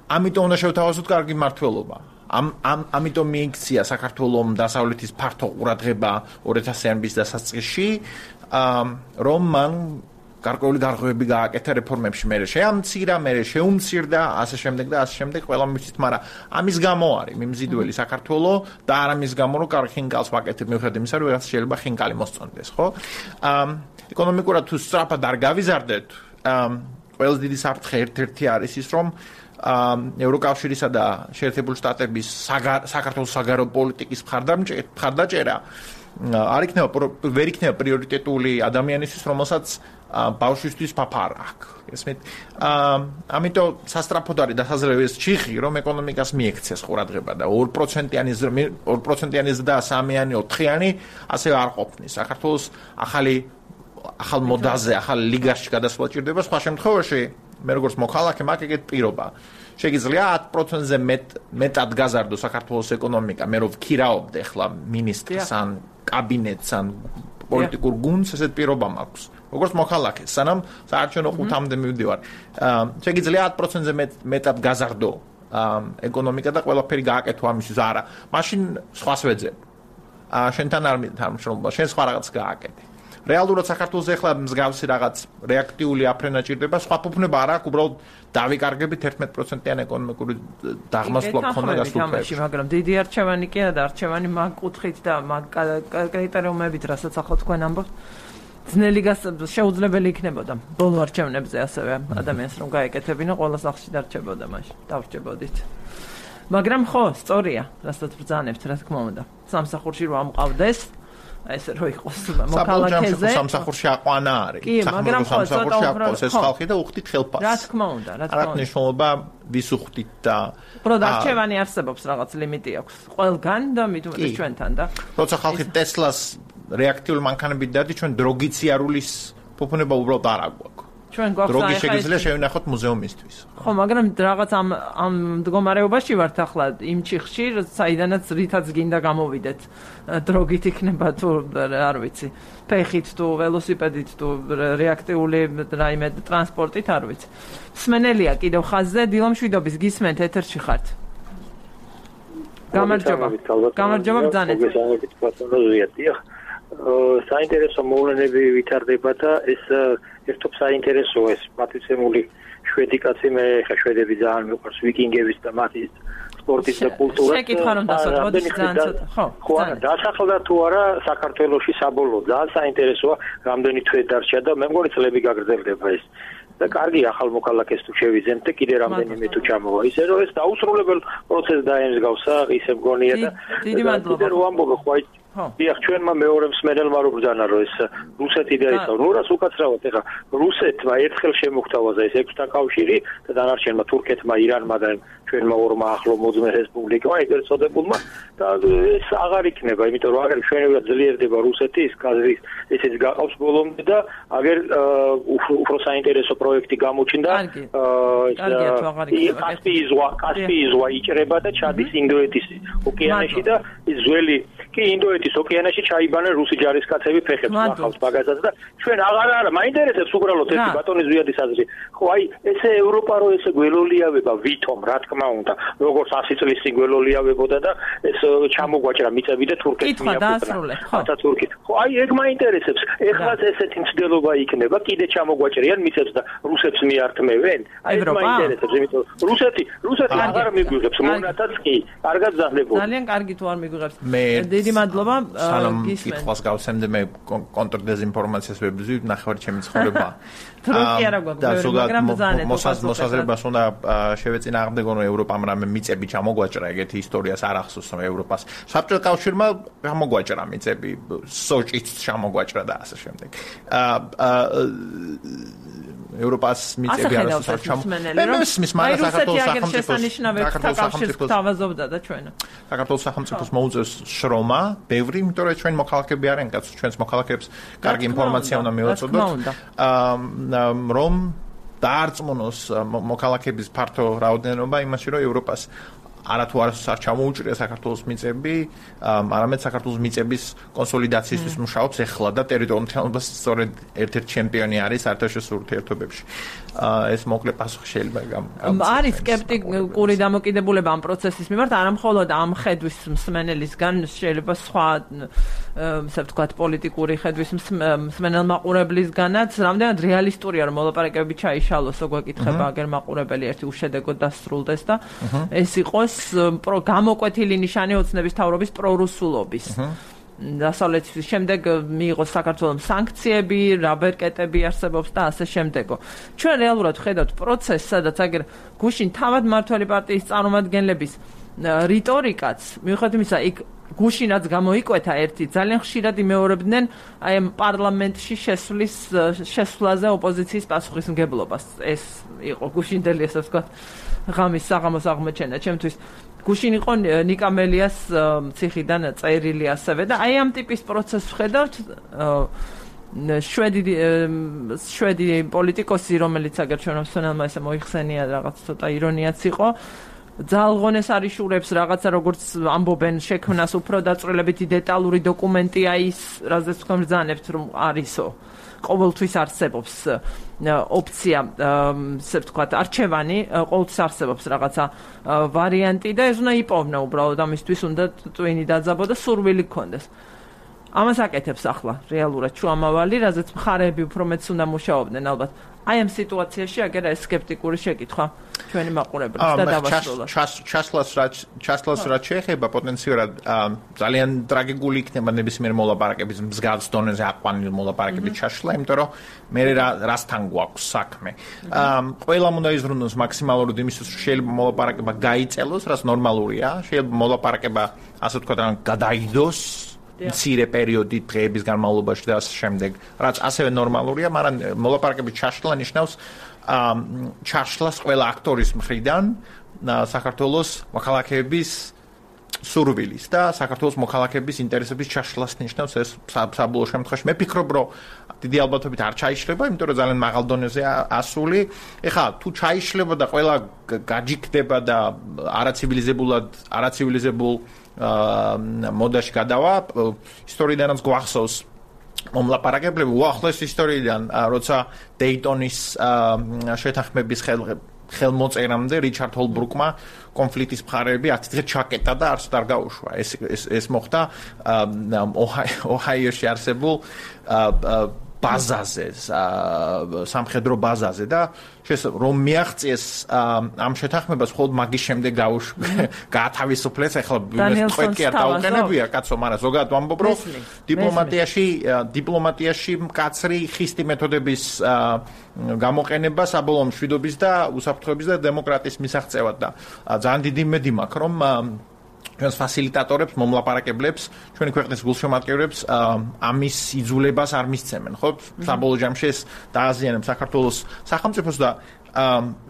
ამიტომ უნდა შევთავაზოთ კარგი მმართველობა. ამ ამ ამიტომ მიიქცია საქართველოს დასავლეთის ფართო ყურადღება ორი ათასიანების დასაწყისში, რომ მან გარკვეული დარღვევები გააკეთა რეფორმებში, მე შეამცირა, მე შეუმცირდა, ასე შემდეგ და ასე შემდეგ, ყველა მისთვის, მაგრამ ამის გამო არის მიმზიდველი საქართველოს და არ ამის გამო, რომ კარგი ხინკალს ვაკეთებ, მიუხედავად იმისა, რომ რაღაც შეიძლება ხინკალი მოსწონდეს, ხო? ეკონომიკურად თუ სწრაფად არ გავიზარდეთ, ყველაზე დიდი საფრთხე ერთ-ერთი არის ის, რომ ევროკავშირისა და შეერთებული შტატების საქართველოს საგარეო პოლიტიკის მხარდაჭერა არ იქნება ვერ იქნება პრიორიტეტული ადამიანისთვის, რომელსაც ბავშვისთვის ფაფარა აქვს. ესმით, ამიტომ სასტრაფოდ არის დასაზრდელი ეს ჩიხი, რომ ეკონომიკას მიექცეს ყურადღება და ორ პროცენტიანი ორ პროცენტიანი ზრდა სამიანი ოთხიანი ასე არ ყოფნის. საქართველოს ახალი ახალ მოდაზე, ახალ ლიგაში გადასვლა ჭირდება, სხვა შემთხვევაში მე როგორც მოქალაქე მაქვს ეგეთ პირობა. შეგიძლია ათ პროცენტზე მეტ მეტად გაზარდო საქართველოს ეკონომიკა, მე რო ვქირაობდე ახლა მინისტრს ან კაბინეტს ან პოლიტიკურ გუნდს, ესეთ პირობა მაქვს. როგორც მოქალაქე, სანამ საარჩევნო ყუთამდე მივდივარ. შეგიძლია ათ პროცენტზე მეტად გაზარდო ეკონომიკა და ყველაფერი გააკეთო ამისთვის, არა. მაშინ სხვას ვეძებ. შენთან არ მითამშრომლობა, შენ სხვა რაღაც გააკეთე. რეალურად საქართველოს ახლა მსგავსი რაღაც რეაქტიული აფრენა ჭირდება, სხვა ფუფუნება არ აქვს, უბრალოდ დავიკარგებით ერთმეტ პროცენტიან ეკონომიკური დაღმასვლა გქონდა გასულთებში. მაგრამ დიდი არჩევანი კი არა და არჩევანი მაგ კუთხით და მაგ კრიტერიუმებით, რასაც ახლა თქვენ ამბობთ, ძნელი შეუძლებელი იქნებოდა ბოლო არჩევნებზე ასევე ადამიანს რომ გაეკეთებინა, ყველა სახლში დარჩებოდა მაშინ, დავრჩებოდით. მაგრამ ხო, სწორია, რასაც ბრძანებთ, რა თქმა უნდა. სამსახურში რომ ამყავდეს ეს რო იყოს მოქალაქეზე სამსახურში აყვანა არის. კი, მაგრამ ხო, სამსახურში აყვავს ეს ხალხი და უხდით ხელფასს. რა თქმა უნდა, რა თქმა უნდა. არა ნიშნულობა ვის უხდით და უბრალოდ არჩევანი არსებობს, რაღაც ლიმიტი აქვს ყველგან და მით უმეტეს ჩვენთან და როცა ხალხი ტესლას რეაქტიული მანქანებით დადის, ჩვენ დროგიციარულის ფუფუნება უბრალოდ არ აგვაქვს. ჩვენ გვაქვს დროგი შეგიძლია შევინახოთ მუზეუმისთვის. ხო, მაგრამ რაღაც ამ ამ მდგომარეობაში ვართ ახლა იმ ჩიხში, საიდანაც რითაც გინდა გამოვიდეთ. დროგით იქნება თუ არ ვიცი, ფეხით თუ ველოსიპედით თუ რეაქტიული რაიმე ტრანსპორტით, არ ვიცი. მსმენელია კიდევ ხაზზე, დილომშვიდობის გისმენთ, ეთერში ხართ. გამარჯობა. გამარჯობა ბრძანეთ. საინტერესო მოვლენები ვითარდება და ეს ერთობ საინტერესოა ეს პატრიცემული შვედი კაცი, მე ხა შვედები ძალიან მიყვარს ვიკინგების და მათი სპორტის და კულტურა. შეკითხვა რომ დასვათ, მოდი ძალიან ცოტა. ხო, ხო, დასახლდა თუ არა საქართველოში საბოლოო, ძალიან საინტერესოა, რამდენი თვე დარჩა და მე მგონი წლები გაგრძელდება ეს. და კარგი ახალ მოქალაქეს თუ შევიძენთ და კიდე რამდენიმე თუ ჩამოვა. ისე რომ ეს დაუსრულებელ პროცესს დაემსგავსა, ისე მგონია და დიდი მადლობა. კიდე რო ამბობ ხო დიახ, ჩვენმა მეორე მსმენელმა რო ბრძანა რომ ეს რუსეთი და ეს ნურას უკაცრავად ეხა რუსეთმა ერთხელ შემოგთავაზა ეს ექვსთან კავშირი და დანარჩენმა თურქეთმა, ირანმა და ჩვენმა ორმა ახლო მოძმე რესპუბლიკმა ეგრეთ წოდებულმა და ეს აღარ იქნება, იმიტომ რომ აგერ ჩვენებად ძლიერდება რუსეთი, ის კაზრის ესეც გაყავს ბოლომდე და აგერ უფრო საინტერესო პროექტი გამოჩნდა. კასპიის ზღვა, კასპიის ზღვა იჭრება და ჩადის ინდოეთის ოკეანეში და ის ძველი კი ინდოეთის ოკეანეში ჩაიბანენ რუსი ჯარისკაცები ფეხებს ახავს მაგასაც და ჩვენ აღარ არა მაინტერესებს უბრალოდ ერთი ბატონის ზვიადის აზრი. ხო, აი ესე ევროპა რო ესე გველოლიავება ვითომ, რა თქმა უნდა, როგორც ასი წლის წინ გველოლიავებოდა და ეს ჩამოგვაჭრა მიწები და თურქეთს მიაკუთვნეს. ხათა თურქეთ. ხო, აი ეგ მაინტერესებს. ეხლაც ესეთი მცდელობა იქნება, კიდე ჩამოგვაჭრიან მიწებს და რუსებს მიართმევენ. აი ეს მაინტერესებს, იმიტომ რუსეთი, რუსეთი აღარ მიგვიღებს, მონათაც კი, კარგად ზარდებოდა. ძალიან კარგი თუ არ მიგვიღებს. დიდი მადლობა. კითხვას გავსემდე მე კონტრდეზინფორმაციას ვებრძვი, ნახევარ ჩემი ცხოვრება. თურქია რა გვაქვს, მაგრამ ბრძანეთ. მოსაზრებას უნდა შევეწინააღმდეგო, რომ ევროპამ რამე მიწები ჩამოგვაჭრა, ეგეთი ისტორიას არ ახსოვს, რომ ევროპას საბჭოთა კავშირმა ჩამოგვაჭრა მიწები, სოჭიც ჩამოგვაჭრა და ასე შემდეგ. ევროპას მიწები არ ახსოვს ჩამოგვაჭრა. მე მისმის მაგრამ საქართველოს სახელმწიფოს თავაზობდა და ჩვენ. საქართველოს სახელმწიფოს მოუწევს შრომა, ბევრი, იმიტომ რომ ჩვენ მოქალაქეები არიან, კაც ჩვენს მოქალაქეებს კარგი ინფორმაცია უნდა მივაწოდოთ. რომ დაარწმუნოს მოქალაქეების ფართო რაოდენობა იმაში, რომ ევროპას არათუ არასდროს არ ჩამოუჭრია საქართველოს მიწები, არამედ საქართველოს მიწების კონსოლიდაციისთვის მუშაობს ეხლა და ტერიტორიულ მთლიანობას სწორედ ერთ-ერთი ჩემპიონი არის საერთაშორისო ურთიერთობებში. ეს მოკლე პასუხი შეიძლება გამ. არის სკეპტიკური დამოკიდებულება ამ პროცესის მიმართ, არა მხოლოდ ამ ხედვის მსმენელისგან, შეიძლება სხვა ასე ვთქვათ პოლიტიკური ხედვის მსმენელ მაყურებლისგანაც, რამდენად რეალისტურია რომ მოლაპარაკებები ჩაიშალოს, როგორ გეკითხება აგერ მაყურებელი ერთი უშედეგოდ დასრულდეს და ეს იყოს გამოკვეთილი ნიშანი ოცნების მთავრობის პრორუსულობის. დასავლეთის შემდეგ მიიღოს საქართველოს სანქციები, რაბერკეტები არსებობს და ასე შემდეგო. ჩვენ რეალურად ხედავთ პროცესს, სადაც აგერ გუშინ თავად მმართველი პარტიის წარმომადგენლების რიტორიკაც, მიუხედავად იმისა, იქ გუშინაც გამოიკვეთა ერთი, ძალიან ხშირად იმეორებდნენ აი ამ პარლამენტში შესვლის შესვლაზე ოპოზიციის პასუხისმგებლობას. ეს იყო გუშინდელი, ასე ვთქვათ, ღამის საღამოს აღმოჩენა ჩემთვის. გუშინ იყო ნიკა მელიას ციხიდან წერილი ასევე და აი ამ ტიპის პროცესს ვხედავთ შვედი შვედი პოლიტიკოსი, რომელიც აგერ ჩვენ მსმენელმა ესე მოიხსენია, რაღაც ცოტა ირონიაც იყო, ძალღონეს არიშურებს რაღაცა როგორც ამბობენ შექმნას უფრო დაწვრილებითი დეტალური დოკუმენტია ის, რაზეც თქვენ ბრძანებთ რომ არისო. ყოველთვის არსებობს ოფცია, ასე ვთქვათ, არჩევანი, ყოველთვის არსებობს რაღაცა ვარიანტი და ეს უნდა იპოვნა უბრალოდ ამისთვის უნდა ტვინი დაძაბო და სურვილი გქონდეს. ამას აკეთებს ახლა რეალურად შუამავალი, რაზეც მხარეები უფრო მეც უნდა მუშაობდნენ ალბათ. აი ამ სიტუაციაში აგერა ეს სკეპტიკური შეკითხვა ჩვენი მაყურებლებს და დავასრულოთ. ჩასლას ჩასლას რაც შეეხება პოტენციურად ძალიან ტრაგიკული იქნება ნებისმიერ მოლაპარაკების მსგავს დონეზე აყვანილი მოლაპარაკების ჩაშლა, იმიტომ რომ მე რასთან გვაქვს საქმე. ყველამ უნდა იზრუნოს მაქსიმალურად იმისთვის, რომ შეიძლება მოლაპარაკება გაიწელოს, რაც ნორმალურია, შეიძლება მოლაპარაკება ასე ვთქვათ, გადაიდოს მცირე პერიოდი დღეების განმავლობაში და ასე შემდეგ, რაც ასევე ნორმალურია, მაგრამ მოლაპარაკების ჩაშლა ნიშნავს ჩაშლას ყველა აქტორის მხრიდან საქართველოს მოქალაქეების სურვილის და საქართველოს მოქალაქეების ინტერესების ჩაშლას ნიშნავს ეს საბოლოო შემთხვევაში. მე ფიქრობ, რომ დიდი ალბათობით არ ჩაიშლება, იმიტომ რომ ძალიან მაღალ დონეზეა ასული. ეხლა თუ ჩაიშლება და ყველა გაჯიქდება და არაცივილიზებულად, არაცივილიზებულ მოდაში გადავა, ისტორიიდანაც გვახსოვს მომლაპარაკებლები უახლოეს ისტორიიდან, როცა დეიტონის შეთანხმების ხელმოწერამდე რიჩარდ ჰოლბრუკმა კონფლიქტის მხარეები ათი დღე ჩაკეტა და არც არ გაუშვა. ეს ეს ეს მოხდა ოჰაიოში არსებულ ბაზაზე, სამხედრო ბაზაზე და რომ მიაღწიეს ამ შეთანხმებას მხოლოდ მაგის შემდეგ გაათავისუფლეს, ახლა თქვენ კი არ დაუყენებია კაცო, მაგრამ ზოგადად ვამბობ, რომ დიპლომატიაში დიპლომატიაში მკაცრი ხისტი მეთოდების გამოყენება საბოლოო მშვიდობის და უსაფრთხოების და დემოკრატიის მისაღწევად და ძალიან დიდი იმედი მაქვს, რომ ჩვენს ფასილიტატორებს, მომლაპარაკებლებს, ჩვენი ქვეყნის გულშემატკივრებს ამის იძულებას არ მისცემენ, ხო? საბოლოო ჯამში ეს დააზიანებს საქართველოს სახელმწიფოს და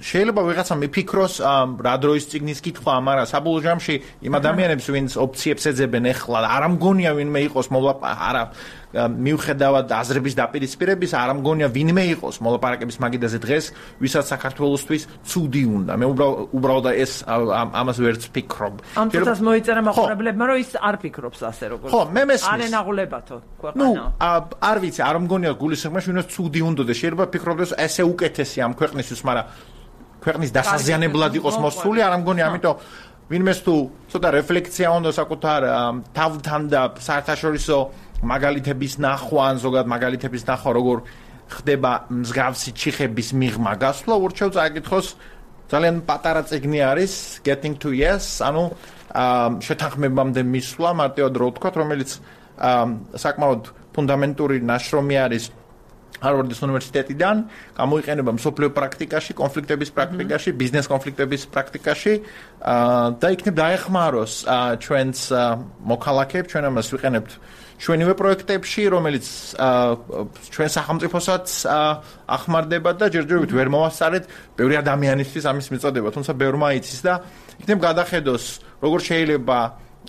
შეიძლება ვიღაცა მიფიქროს რა დროის წიგნის კითხვა, მაგრამ საბოლოო ჯამში იმ ადამიანებს, ვინც ოფციებს ეძებენ ეხლა, არ ამგონია ვინმე იყოს მოლაპარაკე, არა მიუხედავად აზრების დაპირისპირების, არ ამგონია ვინმე იყოს მოლაპარაკების მაგიდაზე დღეს, ვისაც საქართველოსთვის ცუდი უნდა. მე უბრალოდ ეს ამას ვერც ფიქრობ. ამ წუთას მოიწერა მაყურებლებმა, რომ ის არ ფიქრობს ასე როგორც. ხო, მე მესმის. არ ენაღლებათო ქვეყანა. ნუ, არ ვიცი, არ ამგონია გულისხმობაში, ვინაც ცუდი უნდა და შეიძლება ფიქრობდეს ესე უკეთესი ამ ქვეყნისთვის, მაგრამ ქვეყნის დასაზიანებლად იყოს მოსული, არ ამგონია, ამიტომ ვინმეს თუ ცოტა რეფლექცია უნდა საკუთარ თავთან და საერთაშორისო მაგალითების ნახვა, ან ზოგადად მაგალითების ნახვა, როგორ ხდება მსგავსი ჩიხების მიღმა გასვლა, ურჩევ წაიკითხოს ძალიან პატარა წიგნი არის Getting to Yes, ანუ შეთანხმებამდე მისვლა, მარტივად რო ვთქვათ, რომელიც საკმაოდ ფუნდამენტური ნაშრომი არის ჰარვარდის უნივერსიტეტიდან, გამოიყენება მსოფლიო პრაქტიკაში, კონფლიქტების პრაქტიკაში, ბიზნეს კონფლიქტების პრაქტიკაში და იქნებ დაეხმაროს ჩვენს მოქალაქეებს, ჩვენ ამას ვიყენებთ ჩვენივე პროექტებში, რომელიც ჩვენ სახელმწიფოსაც ახმარდება და ჯერჯერობით ვერ მოვასწარეთ ბევრი ადამიანისთვის ამის მიწოდება, თუმცა ბევრმა იცის და იქნებ გადახედოს, როგორ შეიძლება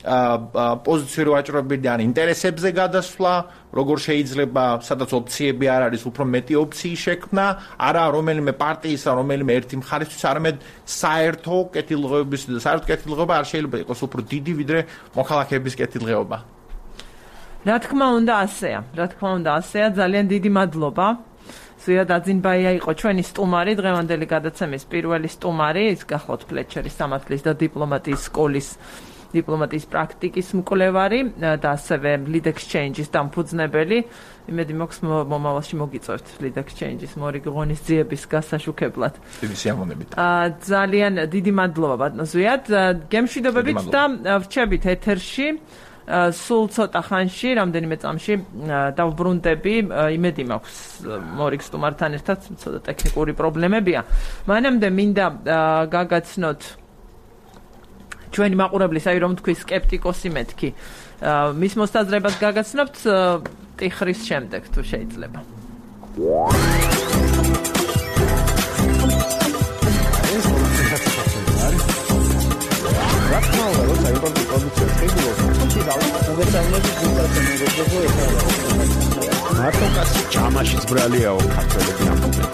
პოზიციური ვაჭრობები ან ინტერესებზე გადასვლა, როგორ შეიძლება, სადაც ოპციები არ არის, უფრო მეტი ოპციის შექმნა, არა რომელიმე პარტიის ან რომელიმე ერთი მხარისთვის, არამედ საერთო კეთილდღეობის და საერთო კეთილდღეობა არ შეიძლება იყოს უფრო დიდი, ვიდრე მოქალაქეების კეთილდღეობა. რა თქმა უნდა, ასეა. რა თქმა უნდა, ასეა. ძალიან დიდი მადლობა. ზვიად აძინბაია იყო ჩვენი სტუმარი, დღევანდელი გადაცემის პირველი სტუმარი, ის გახლავთ ფლეჩერის სამართლის და დიპლომატიის სკოლის დიპლომატიის პრაქტიკის მკვლევარი და ასევე Lead Exchange-ის დამფუძნებელი. იმედი მაქვს მომავალში მოგიწევთ Lead Exchange-ის მორიგი ღონისძიების გასაშუქებლად. დიდი სიამოვნებით. ძალიან დიდი მადლობა ბატონო ზვიად. გემშვიდობებით და ვრჩებით ეთერში. სულ ცოტა ხანში, რამდენიმე წამში დავბრუნდები, იმედი მაქვს მორიგ სტუმართან ერთად, ცოტა ტექნიკური პრობლემებია. მანამდე მინდა გაგაცნოთ ჩვენი მაყურებლის, აი რომ თქვი სკეპტიკოსი მეთქი. მის მოსაზრებას გაგაცნობთ ტიხრის შემდეგ თუ შეიძლება. მარტო კაცი ჯამაშიც ბრალიაო ქართველები ამბობენ.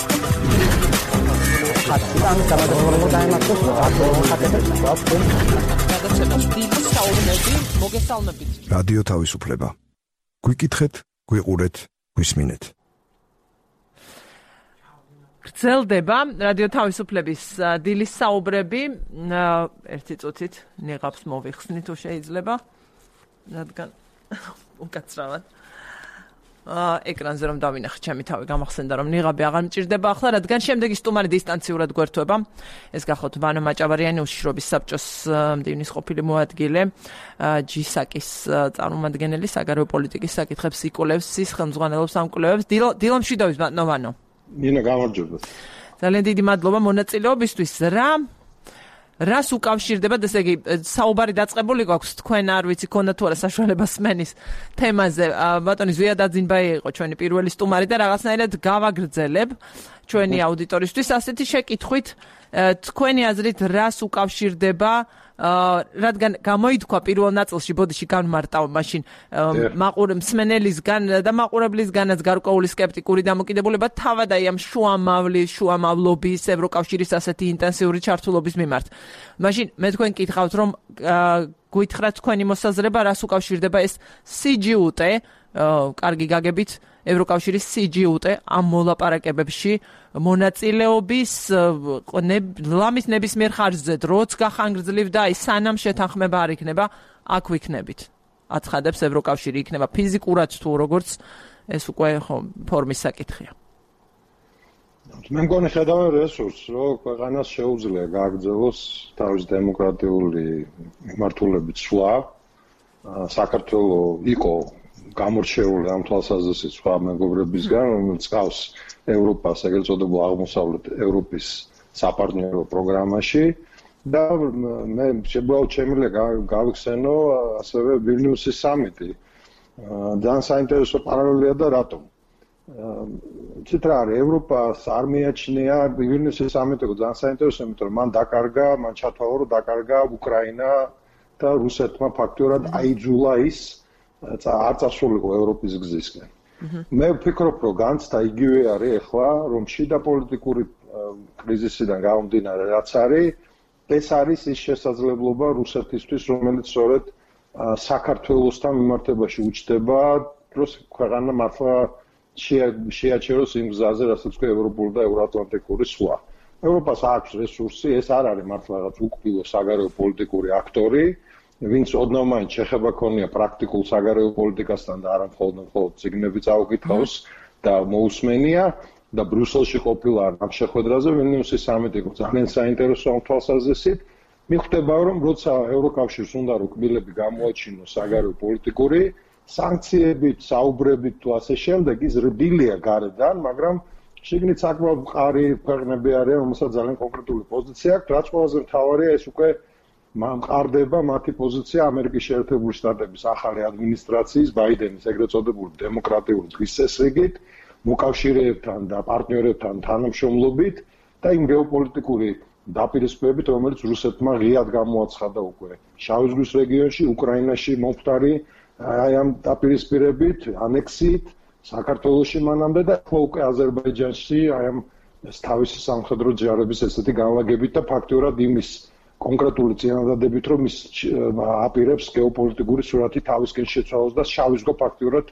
რადიო თავისუფლება. გვიკითხეთ, გვიყურეთ, გვისმინეთ. გრძელდება რადიო თავისუფლების დილის საუბრები. ერთი წუთით ნიღაბს მოვიხსნით თუ შეიძლება. რადგან უკაცრავად ეკრანზე რომ დავინახეთ ჩემი თავი გამახსენდა რომ ნიღაბი აღარ მჭირდება ახლა რადგან შემდეგი სტუმარი დისტანციურად გვერდება. ეს გახლავთ ვანო მაჭავარიანი უშიშრობის საბჭოს მდივნის ყოფილი მოადგილე ჯისაკის წარმომადგენელი საგარეო პოლიტიკის საკითხებს იკვლევს ის ხელმძღვანელობს ამ კვლევებს. დილამშვიდობის ბატონო ვანო. ნინა გამარჯობა. ძალიან დიდი მადლობა მონაწილეობისთვის. რა რას უკავშირდება, ესე იგი, საუბარი დაწყებული გვაქვს თქვენ არ ვიცი ქონდა თუ არა საშუალება სმენის თემაზე. ბატონი ზვიად აძინბაია იყო ჩვენი პირველი სტუმარი და რაღაცნაირად გავაგრძელებ ჩვენი აუდიტორისთვის ასეთი შეკითხვით, თქვენი აზრით რას უკავშირდება, რადგან გამოითქვა პირველ ნაწილში ბოდიში განმარტავ მაშინ მაყურებელისგან და მაყურებლისგანაც გარკვეული სკეპტიკური დამოკიდებულება თავად აი ამ შუამავლის, შუამავლობის, ევროკავშირის ასეთი ინტენსიური ჩართულობის მიმართ. მაშინ მე თქვენ კითხავთ რომ გითხრათ თქვენი მოსაზრება რას უკავშირდება ეს სი ჯი იუ ტე, კარგი გაგებით ევროკავშირის სი ჯი იუ ტე ამ მოლაპარაკებებში მონაწილეობის ლამის ნებისმიერ ხარჯზე დროც გახანგრძლივ და აი სანამ შეთანხმება არ იქნება აქ ვიქნებით. აცხადებს ევროკავშირი იქნება ფიზიკურად თუ როგორც ეს უკვე ხო ფორმის საკითხია. მე მგონი ხედავენ რესურსს, რომ ქვეყანას შეუძლია გააგრძელოს თავის დემოკრატიული მიმართულებით სვლა. საქართველოს იყო გამორჩეული ამ თვალსაზრისით სხვა მეგობრებისგან, რომელიც ყავს ევროპას, ეგრეთ წოდებულ აღმოსავლეთ ევროპის საპარტნიორო პროგრამაში და მე შემიძლია გავიხსენო ასევე ვილნიუსის სამიტი. ძალიან საინტერესო პარალელია და რატომ? ცით რა არის, ევროპას არ მიაჩნია ვილნიუსის სამიტი ძალიან საინტერესო, იმიტომ რომ მან დაკარგა, მან ჩათვალა, რომ დაკარგა უკრაინა და რუსეთმა ფაქტიურად აიძულა ის არ წასულიყო ევროპის გზისკენ. მე ვფიქრობ, რომ განცდა იგივე არის ახლა, რომ შიდა პოლიტიკური კრიზისიდან გამომდინარე რაც არის, ეს არის ის შესაძლებლობა რუსეთისთვის, რომელიც სწორედ საქართველოსთან მიმართებაში უჩნდება, დროს ქვეყანა მართლა შეაჩეროს იმ გზაზე, რასაც ქვია ევროპული და ევროატლანტიკური სვლა. ევროპას აქვს რესურსი, ეს არ არის მართლა რაღაც უკბილო საგარეო პოლიტიკური აქტორი, ვინც ოდნავ მაინც შეხება ქონია პრაქტიკულ საგარეო პოლიტიკასთან და არა მხოლოდ მხოლოდ ციგნები წაუკითხავს და მოусმენია და ბრიუსელში ყოფილა ამ შეხვედრაზე ვილნიუსის სამიტი იყო ძალიან საინტერესო ამ თვალსაზრისით. მიხვდება რომ როცა ევროკავშირს უნდა რომ კბილები გამოაჩინოს საგარეო პოლიტიკური სანქციებით, საუბრებით თუ ასე შემდეგ ის რბილია გარედან, მაგრამ შიგნით საკმაოდ მყარი ქვეყნები არიან, რომელსაც ძალიან კონკრეტული პოზიცია აქვს, რაც ყველაზე მთავარია ეს უკვე მყარდება მათი პოზიცია ამერიკის შეერთებული შტატების ახალი ადმინისტრაციის, ბაიდენის ეგრეთ წოდებული დემოკრატიული თვისწესრიგით, მოკავშირეებთან და პარტნიორებთან თანამშრომლობით და იმ გეოპოლიტიკური დაპირისპირებით, რომელიც რუსეთმა ღიად გამოაცხადა უკვე შავი ზღვის რეგიონში, უკრაინაში მომხდარი აი ამ დაპირისპირებით, ანექსიით, საქართველოში მანამდე და უკვე აზერბაიჯანში აი ამ თავისი სამხედრო ჯარების ესეთი განლაგებით და ფაქტიურად იმის კონკრეტული წინადადებით, რომ ის აპირებს გეოპოლიტიკური სურათი თავისკენ შეცვალოს და შავი ზღვა ფაქტიურად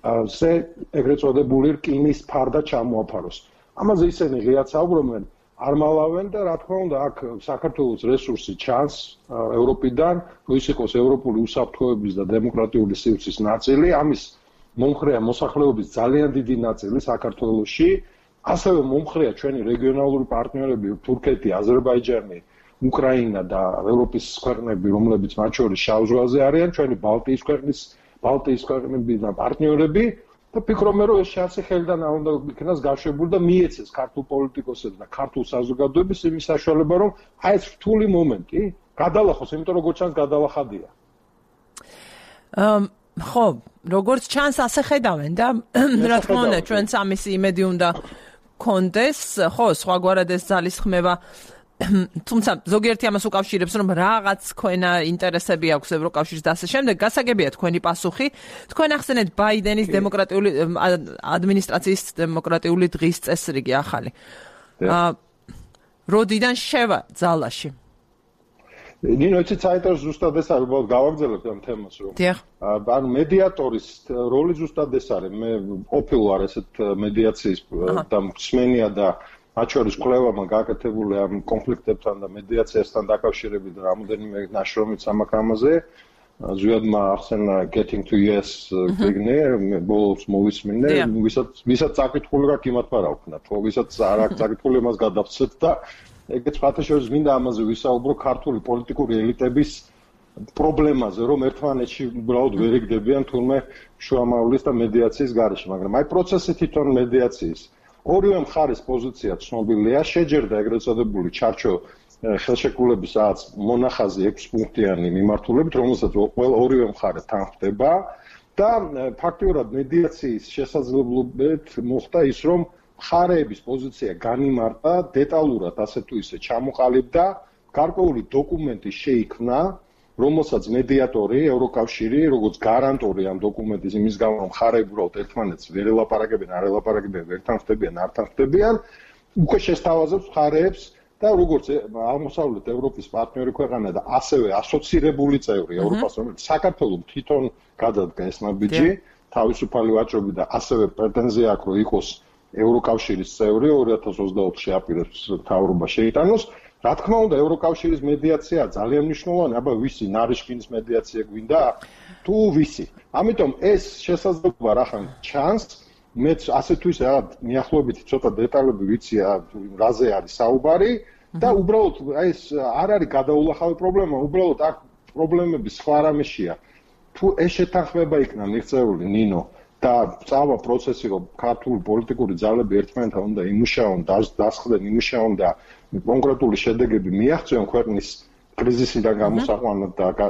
ზე ეგრეთ წოდებული რკინის ფარდა ჩამოაფაროს. ამაზე ისინი ღიად საუბრობენ, არ მალავენ და რა თქმა უნდა აქ საქართველოს რესურსი ჩანს ევროპიდან, თუ ის იყოს ევროპული უსაფრთხოების და დემოკრატიული სივრცის ნაწილი, ამის მომხრეა მოსახლეობის ძალიან დიდი ნაწილი საქართველოში, ასევე მომხრეა ჩვენი რეგიონალური პარტნიორები თურქეთი, აზერბაიჯანი, უკრაინა და ევროპის ქვეყნები, რომლებიც მათ შორის შავ ზღვაზე არიან, ჩვენი ბალტიის ქვეყნის, ბალტიის ქვეყნები და პარტნიორები და ფიქრობ მე რომ ეს შანსი ხელიდან არ უნდა იქნას გაშვებული და მიეცეს ქართულ პოლიტიკოსებს და ქართულ საზოგადოებას იმის საშუალება, რომ აი ეს რთული მომენტი გადალახოს, იმიტომ რომ როგორც ჩანს გადალახადია. ხო, როგორც ჩანს ასე ხედავენ და რა თქმა უნდა ჩვენც ამისი იმედი უნდა კონდეს, ხო, სხვაგვარად ეს ძალისხმევა თუმცა ზოგიერთი ამას უკავშირებს, რომ რაღაც თქვენა ინტერესები აქვს ევროკავშირის და ასე შემდეგ, გასაგებია თქვენი პასუხი. თქვენ ახსენეთ ბაიდენის დემოკრატიული ადმინისტრაციის დემოკრატიული დღის წესრიგი ახალი. როდიდან შევა ძალაში? ნინო, იცით საინტერესო ზუსტად ეს არის, უბრალოდ გავაგრძელებთ ამ თემას, რომ ანუ მედიატორის როლი ზუსტად ეს არის. მე ყოფილი ვარ ესეთ მედიაციის და მსმენია და მათ შორის კვლევამ გაკეთებული ამ კონფლიქტებთან და მედიაციასთან დაკავშირებით რამოდენიმე ნაშრომიც ამ ამაზე. ზვიადმა ახსენა Getting to Yes გიგნე, ბოლოს მოვისმინე, ვისაც ვისაც წაკითხული რა იმათ არა ვქნა, თუ ვისაც არ აქვს წაკითხული მას გადავცეთ და ეგეც ფათაშორის მინდა ამაზე ვისაუბრო ქართული პოლიტიკური ელიტების პრობლემაზე, რომ ერთმანეთში უბრალოდ ვერ იგდებიან თურმე შუამავლის და მედიაციის გარეშე, მაგრამ აი პროცესი თვითონ მედიაციის ორივე მხარის პოზიცია ცნობილია, შეჯერდა ეგრეთ წოდებული ჩარჩო ხელშეკრულების რაღაც მონახაზი ექვსი პუნქტიანი მიმართულებით, რომელსაც ყველა ორივე მხარე თან ხდება და ფაქტიურად მედიაციის შესაძლებლობით მოხდა ის, რომ მხარეების პოზიცია განიმარტა, დეტალურად ასე თუ ისე ჩამოყალიბდა, გარკვეული დოკუმენტი შეიქმნა, რომელსაც მედიატორი, ევროკავშირი, როგორც გარანტორი ამ დოკუმენტის იმის გამო, რომ მხარეები უბრალოდ ერთმანეთს ვერ ელაპარაკებენ, არ ელაპარაკებენ, ვერ თანხმდებიან, არ თანხმდებიან, უკვე შესთავაზებს მხარეებს და როგორც აღმოსავლეთ ევროპის პარტნიორი ქვეყანა და ასევე ასოცირებული წევრი ევროპას, რომელიც საქართველოს თვითონ გადადგა ეს ნაბიჯი, თავისუფალი ვაჭრობი და ასევე პრეტენზია აქვს, რომ იყოს ევროკავშირის წევრი ორი ათას ოცდაოთხში აპირებს მთავრობა შეიტანოს. რა თქმა უნდა, ევროკავშირის მედიაცია ძალიან მნიშვნელოვანი, აბა ვისი ნარიშკინის მედიაცია გვინდა? თუ ვისი? ამიტომ ეს შესაძლებლობა რახან ჩანს, მეც ასე თუ ისე რაღაც მიახლოებით ცოტა დეტალები ვიცი, რაზე არის საუბარი და უბრალოდ აი ეს არ არის გადაულახავი პრობლემა, უბრალოდ აქ პრობლემები სხვა რამეშია. თუ ეს შეთანხმება იქნა მიღწეული, ნინო, და წავა პროცესი, რომ ქართული პოლიტიკური ძალები ერთმანეთთან უნდა იმუშაონ, დასხდნენ, იმუშაონ და კონკრეტული შედეგები მიაღწიონ ქვეყნის კრიზისიდან გამოსაყვანად და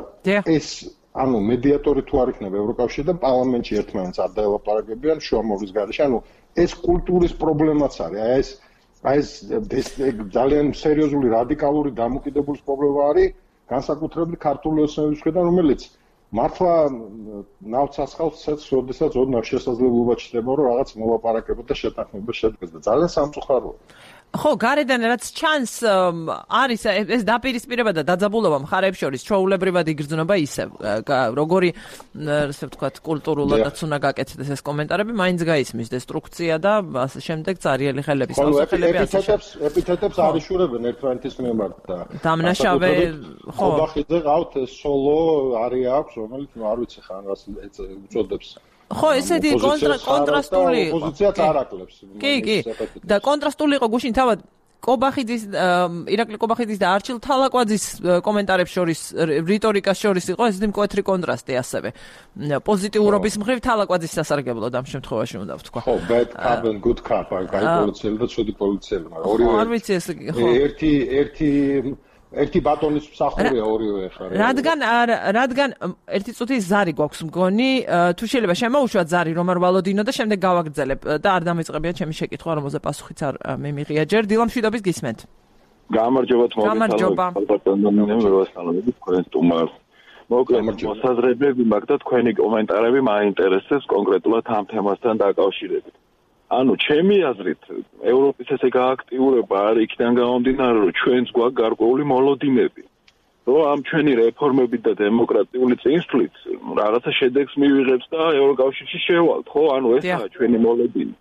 ეს ანუ მედიატორი თუ არ იქნება ევროკავშირი და პარლამენტში ერთმანეთს არ დაელაპარაკებიან შუამავლის გარეშე, ანუ ეს კულტურის პრობლემაც არის. აი ეს აი ეს ძალიან სერიოზული რადიკალური დამოკიდებულის პრობლემა არის, განსაკუთრებით ქართული ოცნების მხრიდან, რომელიც მართლა ნავთს ასხავს ცეცხლს, როდესაც ოდნავ შესაძლებლობა ჩნდება, რომ რაღაც მოლაპარაკება და შეთანხმება შედგეს და ძალიან სამწუხაროა. ხო, გარედან რაც ჩანს არის ეს დაპირისპირება და დაძაბულობა მხარეებს შორის ჩვეულებრივად იგრძნობა ისევ, როგორი ასე ვთქვათ, კულტურულადაც უნდა გაკეთდეს ეს კომენტარები, მაინც გაისმის დესტრუქცია და ასე შემდეგ წარიელი ხელების მოსახლეები ასე ეპითეტებს ეპითეტებს არიშურებენ ერთმანეთის მიმართ და დამნაშავე ხო ხოხიძე ყავთ სოლო არის აქვს, რომელიც არ ვიცი ხან რას უწოდებს ხო, ესეთი კონტრასტული პოზიციაც არ აკლებს. კი, კი. და კონტრასტული იყო გუშინ თავად კობახიძის, ირაკლი კობახიძის და არჩილ თალაკვაძის კომენტარებს შორის, რიტორიკას შორის იყო ესეთი მკვეთრი კონტრასტი ასევე. პოზიტიურობის მხრივ თალაკვაძის სასარგებლოდ ამ შემთხვევაში უნდა ვთქვა. ხო, bad cop and good cop, აი პოლიციელი და ცუდი პოლიციელი, მაგრამ ორივე არ ვიცი ეს ხო. ერთი ერთი ერთი ბატონის მსახურია ორივე ხარ. რადგან რადგან ერთი წუთის ზარი გვაქვს მგონი, თუ შეიძლება შემოუშვათ ზარი რომ არ ვალოდინო და შემდეგ გავაგრძელებ და არ დამეწყებია ჩემი შეკითხვა, რომელზე პასუხიც არ მიმიღია ჯერ. დილამშვიდობის გისმენთ. გამარჯობა თმოგეცალოთ ბატონო მევასალამები თქვენ სტუმარს. მოკლედ მოსაზრებები მაქვს და თქვენი კომენტარები მაინტერესებს კონკრეტულად ამ თემასთან დაკავშირებით. ანუ ჩემი აზრით ევროპის ესე გააქტიურება არის იქიდან გამომდინარე რომ ჩვენს გვაქვს გარკვეული მოლოდინები. რომ ამ ჩვენი რეფორმებით და დემოკრატიული წინსვლით რაღაცა შედეგს მივიღებს და ევროკავშირში შევალთ, ხო? ანუ ესაა ჩვენი მოლოდინი.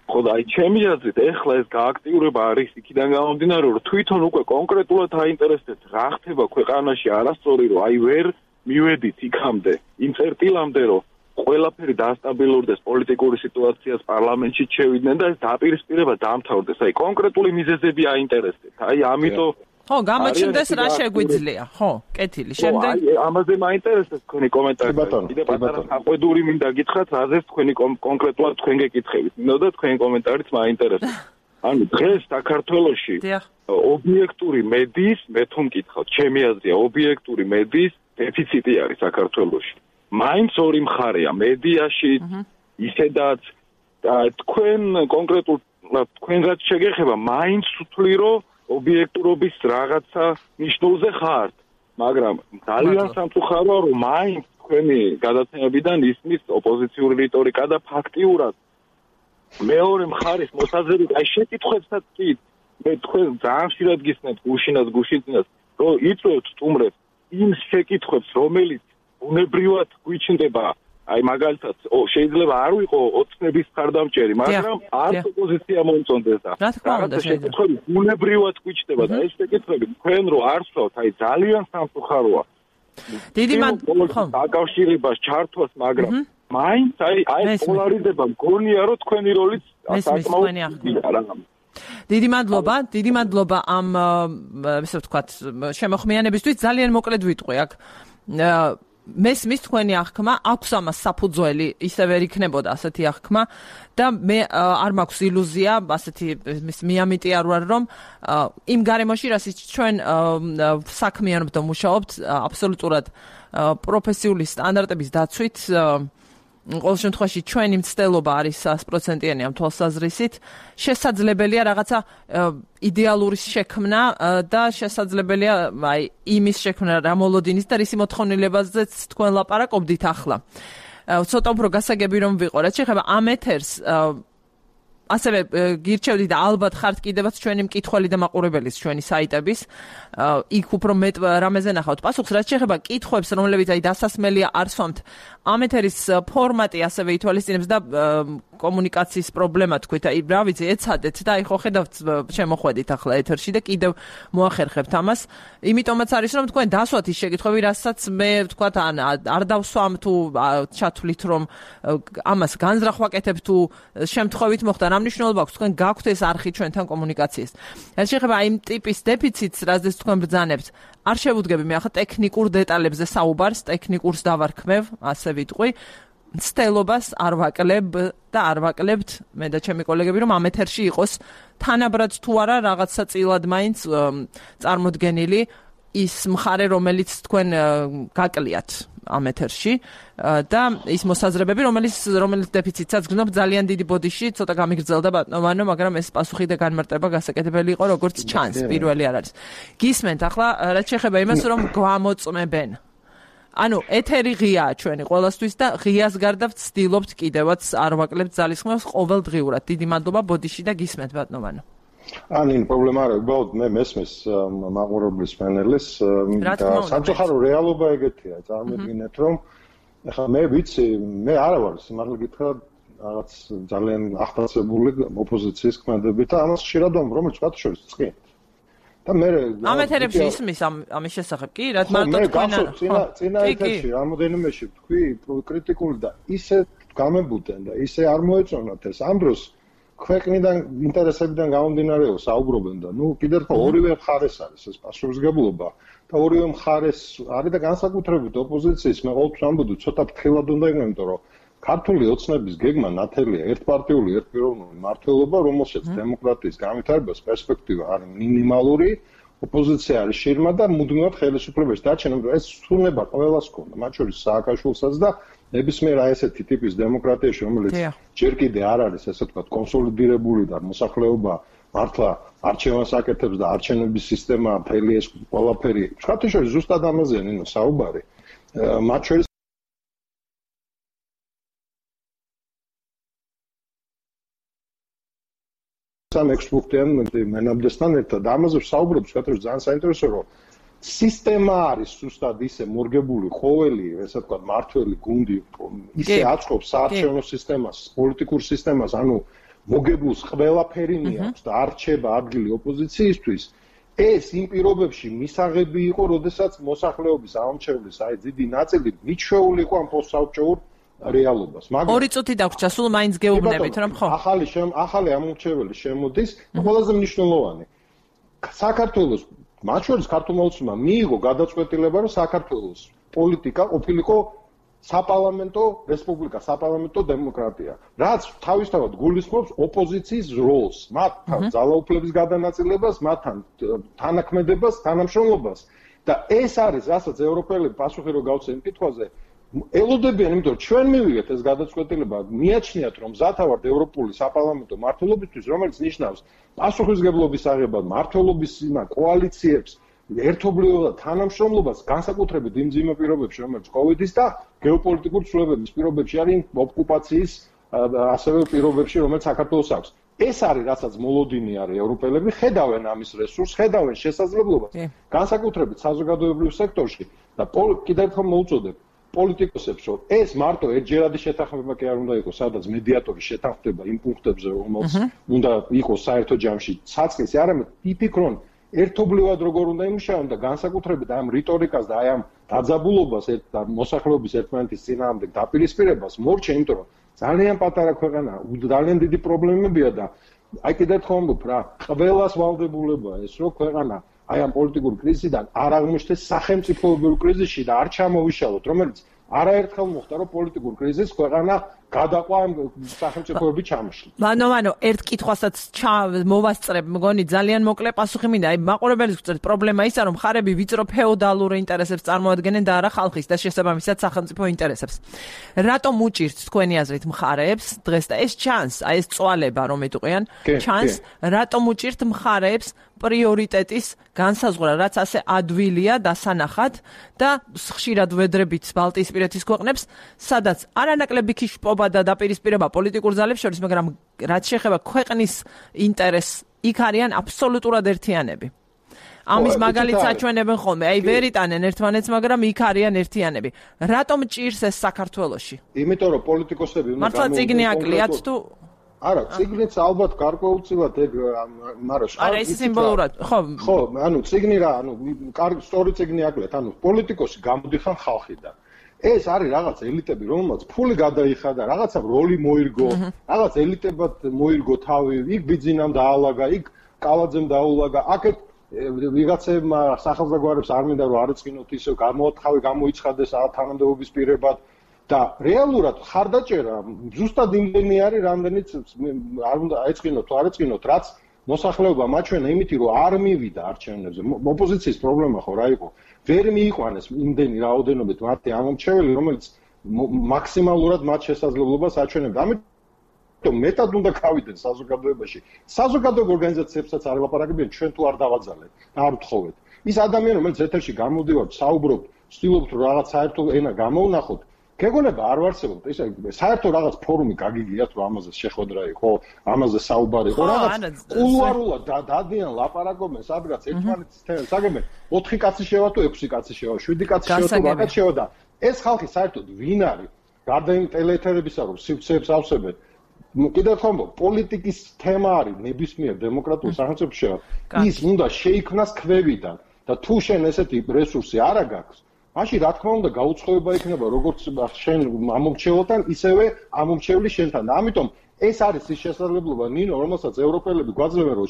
ხო და აი ჩემი აზრით ეხლა ეს გააქტიურება არის იქიდან გამომდინარე რომ თვითონ უკვე კონკრეტულად აინტერესებს რა ხდება ქვეყანაში არასწორი რომ აი ვერ მივედით იქამდე იმ წერტილამდე რომ ყველაფერი დაასტაბილურდეს პოლიტიკური სიტუაციას პარლამენტში შევიდნენ და ეს დაპირისპირება დამთავრდეს. აი კონკრეტული მიზეზები აინტერესებს. აი ამიტომ ხო, გამოჩნდეს რა შეგვიძლია. ხო, კეთილი. შემდეგ აი ამაზე მაინტერესებს თქვენი კომენტარი. კიდე პატარა საყვედური მინდა გითხრათ, რაზეც თქვენი კონკრეტულად თქვენ გეკითხებით. მინდოდა თქვენი კომენტარიც მაინტერესებს. ანუ დღეს საქართველოში ობიექტური მედიის, მე თუ მკითხავთ, ჩემი აზრია, ობიექტური მედიის დეფიციტი არის საქართველოში. მაინც ორი მხარეა მედიაში, ისედაც თქვენ კონკრეტულად თქვენ რაც შეგეხება, მაინც ვთვლი რომ ობიექტურობის რაღაცა ნიშნულზე ხართ, მაგრამ ძალიან სამწუხაროა რომ მაინც თქვენი გადაცემებიდან ისმის ოპოზიციური რიტორიკა და ფაქტიურად მეორე მხარის მოსაზრებით აი შეკითხვებსაც კი მე თქვენ ძალიან ხშირად გისმენთ გუშინას გუშინას რომ იწვევთ სტუმრებს იმ შეკითხვებს რომელიც უნებრივად გვიჩნდება აი მაგალითად შეიძლება არ ვიყო ოცნების ხარდამჭერი, მაგრამ არც ოპოზიცია მომწონდეს და რაღაცა შეკითხვები უნებრივად გვიჩნდება და ეს შეკითხვები თქვენ რო არ სწავთ, აი ძალიან სამწუხაროა. დიდი მადლობა დაკავშირებას ჩართვას, მაგრამ მაინც აი აი პოლარიზება მგონია რომ თქვენი როლიც საკმაოდია. დიდი მადლობა, დიდი მადლობა ამ ესე ვთქვათ შემოხმიანებისთვის. ძალიან მოკლედ ვიტყვი აქ. მესმის თქვენი აღქმა, აქვს ამას საფუძველი, ისე ვერ იქნებოდა ასეთი აღქმა და მე არ მაქვს ილუზია, ასეთი მიამიტი არ ვარ რომ იმ გარემოში რასაც ჩვენ საქმიანობთ და მუშაობთ, აბსოლუტურად პროფესიული სტანდარტების დაცვით ყოველ შემთხვევაში ჩვენი მცდელობა არის sto პროცენტიანი ამ თვალსაზრისით. შესაძლებელია რაღაცა იდეალური შექმნა და შესაძლებელია აი იმის შექმნა რა მოლოდინის და რისი მოთხოვნილებაზეც თქვენ ლაპარაკობდით ახლა. ცოტა უფრო გასაგები რომ ვიყო, რაც შეეხება ამ ეთერს ასევე გირჩევდი და ალბათ ხართ კიდევაც ჩვენი მკითხველი და მაყურებელის ჩვენი საიტების იქ უფრო მეტ რამეზე ნახავთ პასუხს რაც შეეხება კითხვებს რომლებიც აი დასასმელია არ სვამთ ამ ეთერის ფორმატი ასევე ითვალისწინებს და კომუნიკაციის პრობლემა თქვით აი რა ვიცი ეცადეთ და აი ხო ხედავთ შემოხვედით ახლა ეთერში და კიდევ მოახერხებთ ამას იმიტომაც არის რომ თქვენ დასვათ ის შეკითხვები რასაც მე ვთქვათ ან არ დავსვამ თუ ჩათვლით რომ ამას განზრახ ვაკეთებ თუ შემთხვევით მოხდა რა მნიშვნელობა აქვს თქვენ გაქვთ ეს არხი ჩვენთან კომუნიკაციის რაც შეეხება აი იმ ტიპის დეფიციტს რაზეც თქვენ ბრძანებთ არ შევუდგები მე ახლა ტექნიკურ დეტალებზე საუბარს ტექნიკურს დავარქმევ ასე ვიტყვი მცდელობას არ ვაკლებ და არ ვაკლებთ მე და ჩემი კოლეგები რომ ამ ეთერში იყოს თანაბრად თუ არა რაღაცა წილად მაინც წარმოდგენილი ის მხარე რომელიც თქვენ გაკლიათ ამ ეთერში და ის მოსაზრებები რომელიც რომელიც დეფიციტსაც გრძნობ ძალიან დიდი ბოდიში ცოტა გამიგრძელდა ბატონო მაგრამ ეს პასუხი და განმარტება გასაკეთებელი იყო როგორც ჩანს პირველი არ არის გისმენთ ახლა რაც შეეხება იმას რომ გვამოწმებენ ანუ ეთერი ღიაა ჩვენი ყველასთვის და ღიას გარდა ვცდილობთ კიდევაც არ ვაკლებთ ძალისხმევას ყოველდღიურად დიდი მადლობა ბოდიში და გისმენთ ბატონო ან იმ პრობლემა არა უბრალოდ მე მესმის მაყურებლის პანელის და სამწუხარო რეალობა ეგეთია წარმოგიდგენთ რომ ახლა მე ვიცი მე არა ვარ სიმართლე გითხრა რაღაც ძალიან ახტაცებული ოპოზიციის ქმედებით და ამას ხშირად ვამბობ რომელიც მათ შორის წყი და მე ამ ეთერებში ისმის ამის შესახებ კი რა მარტო თქვენ წინა წინა ეთერში რამოდენიმეში თქვი კრიტიკული და ისე გამებუდენ და ისე არ მოეწონათ ეს ამ დროს ქვეყნიდან ინტერესებიდან გამომდინარეო საუბრობენ და ნუ კიდევ ხო ორივე მხარეს არის ეს პასუხისმგებლობა და ორივე მხარეს არის და განსაკუთრებით ოპოზიციის მე ყოველთვის ამბობ ცოტა ფრთხილად უნდა იქნება იმიტომ რომ ქართული ოცნების გეგმა ნათელია ერთპარტიული ერთპიროვნული მმართველობა რომელსაც დემოკრატიის განვითარებას პერსპექტივა არის მინიმალური ოპოზიცია არის შირმა და მუდმივად ხელისუფლებაში დარჩენა რომ ეს სრულდება ყველას ქონდა მათ შორის სააკაშვილსაც და ნებისმიერ აი ესეთი ტიპის დემოკრატიაში რომელიც ჯერ კიდე არ არის ესე ვთქვათ კონსოლიდირებული და მოსახლეობა მართლა არჩევანს აკეთებს და არჩევნების სისტემა მთელი ეს ყველაფერი შეხოთიშორი ზუსტად ამაზეა ნინო საუბარი მათ შორის სამ ექსპორტიან მენაბდესთან ერთად ამაზე საუბრობს შეხოთიშორი ძალიან საინტერესო რომ სისტემა არის ზუსტად ისე მორგებული ყოველი ესე ვთქვათ მართველი გუნდი ისე აწყობს საარჩევნო სისტემას პოლიტიკურ სისტემას ანუ მოგებულს ყველაფერი მიაქვს და არ რჩება ადგილი ოპოზიციისთვის ეს იმ პირობებში მისაღები იყო როდესაც მოსახლეობის ამომრჩევლის აი დიდი ნაწილი მიჩვეული იყო ამ პოსტსაბჭოურ რეალობას მაგრამ ორი წუთი დაგვრჩა სულ მაინც გეუბნებით რომ ხო ახალი ახალი ამომრჩეველი შემოდის ყველაზე მნიშვნელოვანი საქართველოს მათ შორის ქართულმა ოცნებმა მიიღო გადაწყვეტილება რომ საქართველოს პოლიტიკა ყოფილიყო საპარლამენტო რესპუბლიკა, საპარლამენტო დემოკრატია. რაც თავისთავად გულისხმობს ოპოზიციის როლს, მათ ძალაუფლების გადანაწილებას, მათთან თანაქმედებას, თანამშრომლობას და ეს არის, რასაც ევროპელები პასუხი რო გავცენ კითხვაზე, ელოდებიან, იმიტომ რომ ჩვენ მივიღეთ ეს გადაწყვეტილება, მიაჩნიათ რომ მზათავართ ევროპული საპარლამენტო მმართველობისთვის, რომელიც ნიშნავს პასუხისმგებლობის აღებას, მმართველობის კოალიციებს ერთობლივად თანამშრომლობას განსაკუთრებით იმ ძიმე პირობებში, რომელიც კოვიდის და გეოპოლიტიკურ ცვლილებების პირობებში არის ოკუპაციის ასევე პირობებში, რომელიც საქართველოს აქვს. ეს არის, რასაც მოლოდინი არის ევროპელები, ხედავენ ამის რესურსს, ხედავენ შესაძლებლობას, განსაკუთრებით საზოგადოებრივ სექტორში და კიდევ ერთხელ მოვუწოდებ პოლიტიკოსებს, რომ ეს მარტო ერთჯერადი შეთანხმება კი არ უნდა იყოს, სადაც მედიატორი შეთანხმდება იმ პუნქტებზე, რომელიც უნდა იყოს საერთო ჯამში საწყისი, არამედ იფიქრონ ერთობლივად როგორ უნდა იმუშაონ და განსაკუთრებით ამ რიტორიკას და აი ამ დაძაბულობას და მოსახლეობის ერთმანეთის წინააღმდეგ დაპირისპირებას მორჩა, იმიტომ რომ ძალიან პატარა ქვეყანა, ძალიან დიდი პრობლემებია და აი კიდევ ერთხელ ვამბობ რა, ყველას ვალდებულებაა ეს რომ ქვეყანა აი ამ პოლიტიკურ კრიზისიდან არ აღმოჩნდეს სახელმწიფოებრივ კრიზისში და არ ჩამოვიშალოთ, რომელიც არაერთხელ მოხდა რომ პოლიტიკურ კრიზისს ქვეყანა გადაყვა სახელმწიფოები ჩამოშლით. მანო, მანო, ერთ კითხვასაც მოვასწრებ, მგონი ძალიან მოკლე პასუხი მინდა. აი, მაყურებელს ვწერთ, პრობლემა ისაა, რომ მხარები ვიწრო ფეოდალურ ინტერესებს წარმოადგენენ და არა ხალხის და შესაბამისად სახელმწიფო ინტერესებს. რატომ უჭირთ თქვენი აზრით მხარეებს დღეს და ეს ჩანს, აი ეს წვალება რომ ეტყვიან, ჩანს, რატომ უჭირთ მხარეებს პრიორიტეტის განსაზღვრა, რაც ასე ადვილია დასანახად და ხშირად ვედრებით ბალტიისპირეთის ქვეყნებს, სადაც არანაკლები ქიშპობა და დაპირისპირება პოლიტიკურ ძალებს შორის, მაგრამ რაც შეეხება ქვეყნის ინტერესს, იქ არიან აბსოლუტურად ერთიანები. ამის მაგალითს აჩვენებენ ხოლმე, აი ვერ იტანენ ერთმანეთს, მაგრამ იქ არიან ერთიანები. რატომ ჭირს ეს საქართველოში? იმიტომ რომ პოლიტიკოსები უნდა მართლა წიგნი აკლიათ თუ არა, წიგნიც ალბათ გარკვეულწილად ეგ, მაგრამ არა, ეს სიმბოლურად, ხო. ხო, ანუ წიგნი რა, ანუ კარგი სწორი წიგნი აკლიათ, ანუ პოლიტიკოსი გამოდიხარ ხალხიდან. ეს არის რაღაც ელიტები, რომელმაც ფული გადაიხადა, რაღაცა როლი მოირგო, რაღაც ელიტებად მოირგო თავი, იქ ბიძინამ დაალაგა, იქ კალაძემ დაულაგა, აქეთ ვიღაცებმა სახელმწიფოებს არ მინდა რომ არეწყინოთ ისე გამოათხავე, გამოიცხადეს თანამდებობის პირებად და რეალურად ხარდაჭერა ზუსტად იმდენი არის, რამდენიც არ უნდა აეწყინოთ თუ არ ეწყინოთ, რაც მოსახლეობა მაჩვენა იმითი რომ არ მივიდა არჩევნებზე. ოპოზიციის პრობლემა ხო რა იყო? ვერ მიიყვანეს იმდენი რაოდენობით მათი ამომრჩეველი, რომელიც მაქსიმალურად მათ შესაძლებლობას აჩვენებდა. ამიტომ მეტად უნდა გავიდნენ საზოგადოებაში. საზოგადოებრივ ორგანიზაციებსაც არ ელაპარაკებიან, ჩვენ თუ არ დავაძალეთ და არ ვთხოვეთ. ის ადამიანი, რომელიც ეთერში გამოდივართ, საუბრობთ, ვცდილობთ რომ რაღაც საერთო ენა გამოვნახოთ, გეგონება არ ვარსებობთ. ისე საერთო რაღაც ფორუმი გაგიგიათ რომ ამაზე შეხვედრა იყო, ამაზე საუბარი იყო, რაღაც კულუარულად დადიან ლაპარაკობენ, სადღაც ერთმანეთის თემებს აგებენ, ოთხი კაცი შევა თუ ექვსი კაცი შევა, შვიდი კაცი შევა თუ რაღაც შევა და ეს ხალხი საერთოდ ვინ არის? გარდა იმ ტელეეთერებისა რომ სივრცეებს ავსებენ, კიდევ ერთხელ ვამბობ, პოლიტიკის თემა არის ნებისმიერ დემოკრატიულ სახელმწიფოში, ის უნდა შეიქმნას ქვევიდან და თუ შენ ესეთი რესურსი არ აქვს, მაშინ რა თქმა უნდა გაუცხოება იქნება როგორც შენ ამომრჩეველთან, ისევე ამომრჩევლის შენთან. და ამიტომ ეს არის ის შესაძლებლობა, ნინო, რომელსაც ევროპელები გვაძლევენ, რომ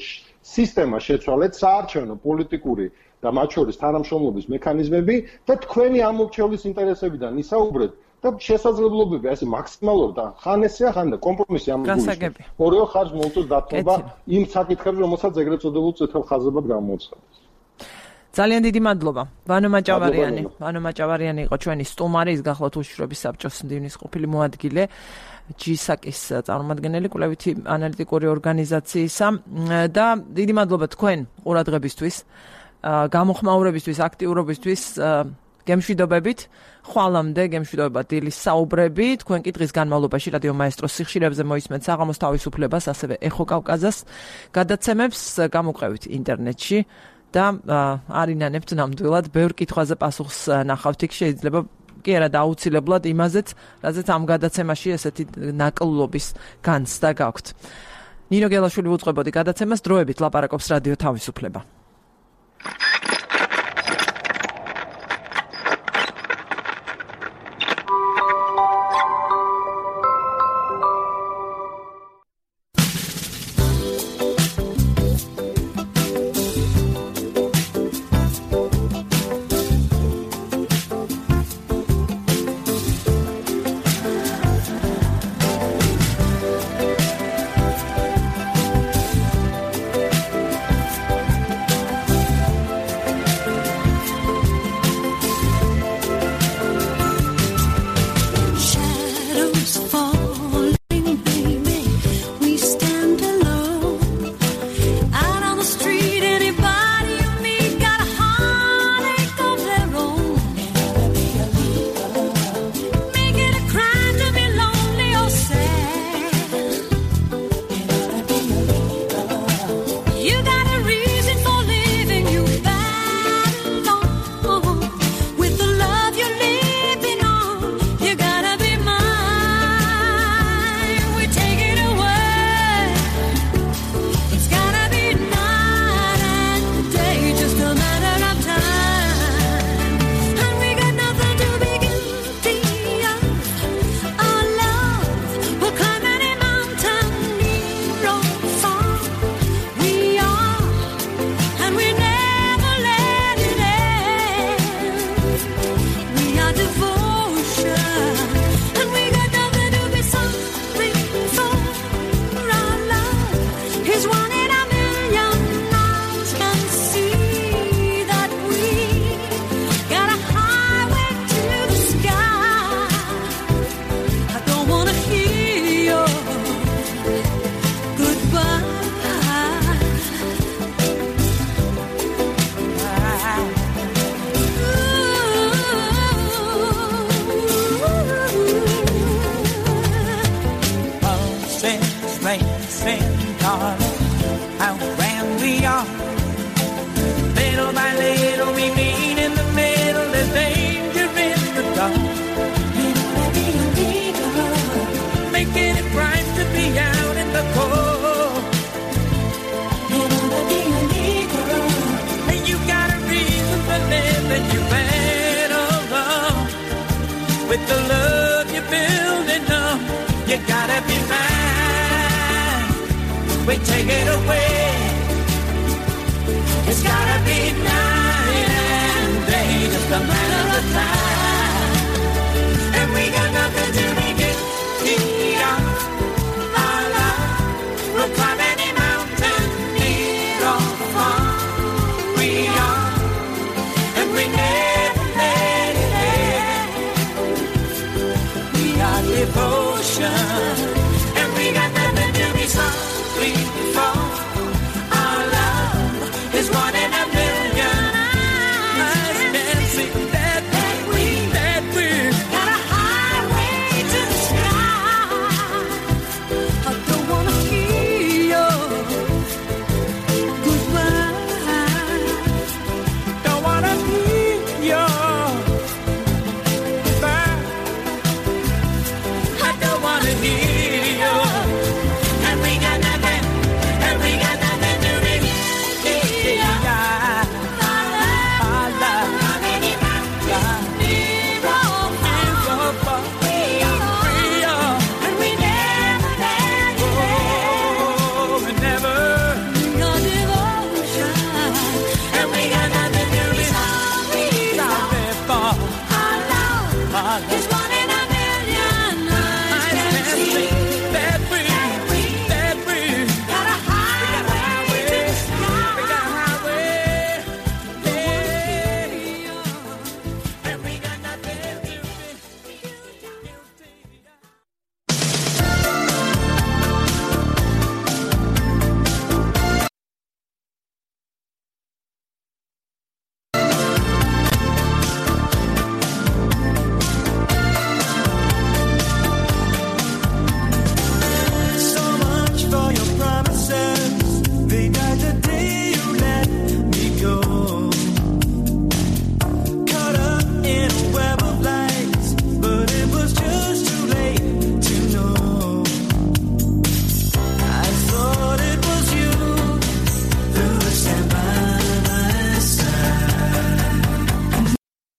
სისტემა შეცვალეთ, საარჩევნო პოლიტიკური და მათ შორის თანამშრომლობის მექანიზმები და თქვენი ამომრჩევლის ინტერესებიდან ისაუბრეთ და შესაძლებლობები ასე მაქსიმალურად და ხან ესეა, ხან და კომპრომისი ამ გულისხმობს. ორივე ხარჯს მოუწევს დათმობა იმ საკითხებზე, რომელსაც ეგრეთ წოდებულ წითელ ხაზებად გამოუცხადეს. ძალიან დიდი მადლობა. ვანო მაჭავარიანი, ვანო მაჭავარიანი იყო ჩვენი სტუმარი, ის გახლავთ უშიშროების საბჭოს მდივნის ყოფილი მოადგილე, ჯისაკის წარმომადგენელი, კვლევითი ანალიტიკური ორგანიზაციისა და დიდი მადლობა თქვენ ყურადღებისთვის, გამოხმაურებისთვის, აქტიურობისთვის, გემშვიდობებით, ხვალამდე გემშვიდობა დილის საუბრები, თქვენ კი დღის განმავლობაში რადიო მაესტროს სიხშირეებზე მოისმენთ საღამოს თავისუფლებას, ასევე ეხო კავკაზას გადაცემებს, გამოყევით ინტერნეტში და არინანებთ ნამდვილად ბევრ კითხვაზე პასუხს ნახავთ იქ, შეიძლება კი არა დაუცილებლად იმაზეც, რაზეც ამ გადაცემაში ესეთი ნაკლობის განცდა გაქვთ. ნინო გელაშვილი უწყებოდი გადაცემას, დროებით ლაპარაკობს რადიო თავისუფლება. Devotion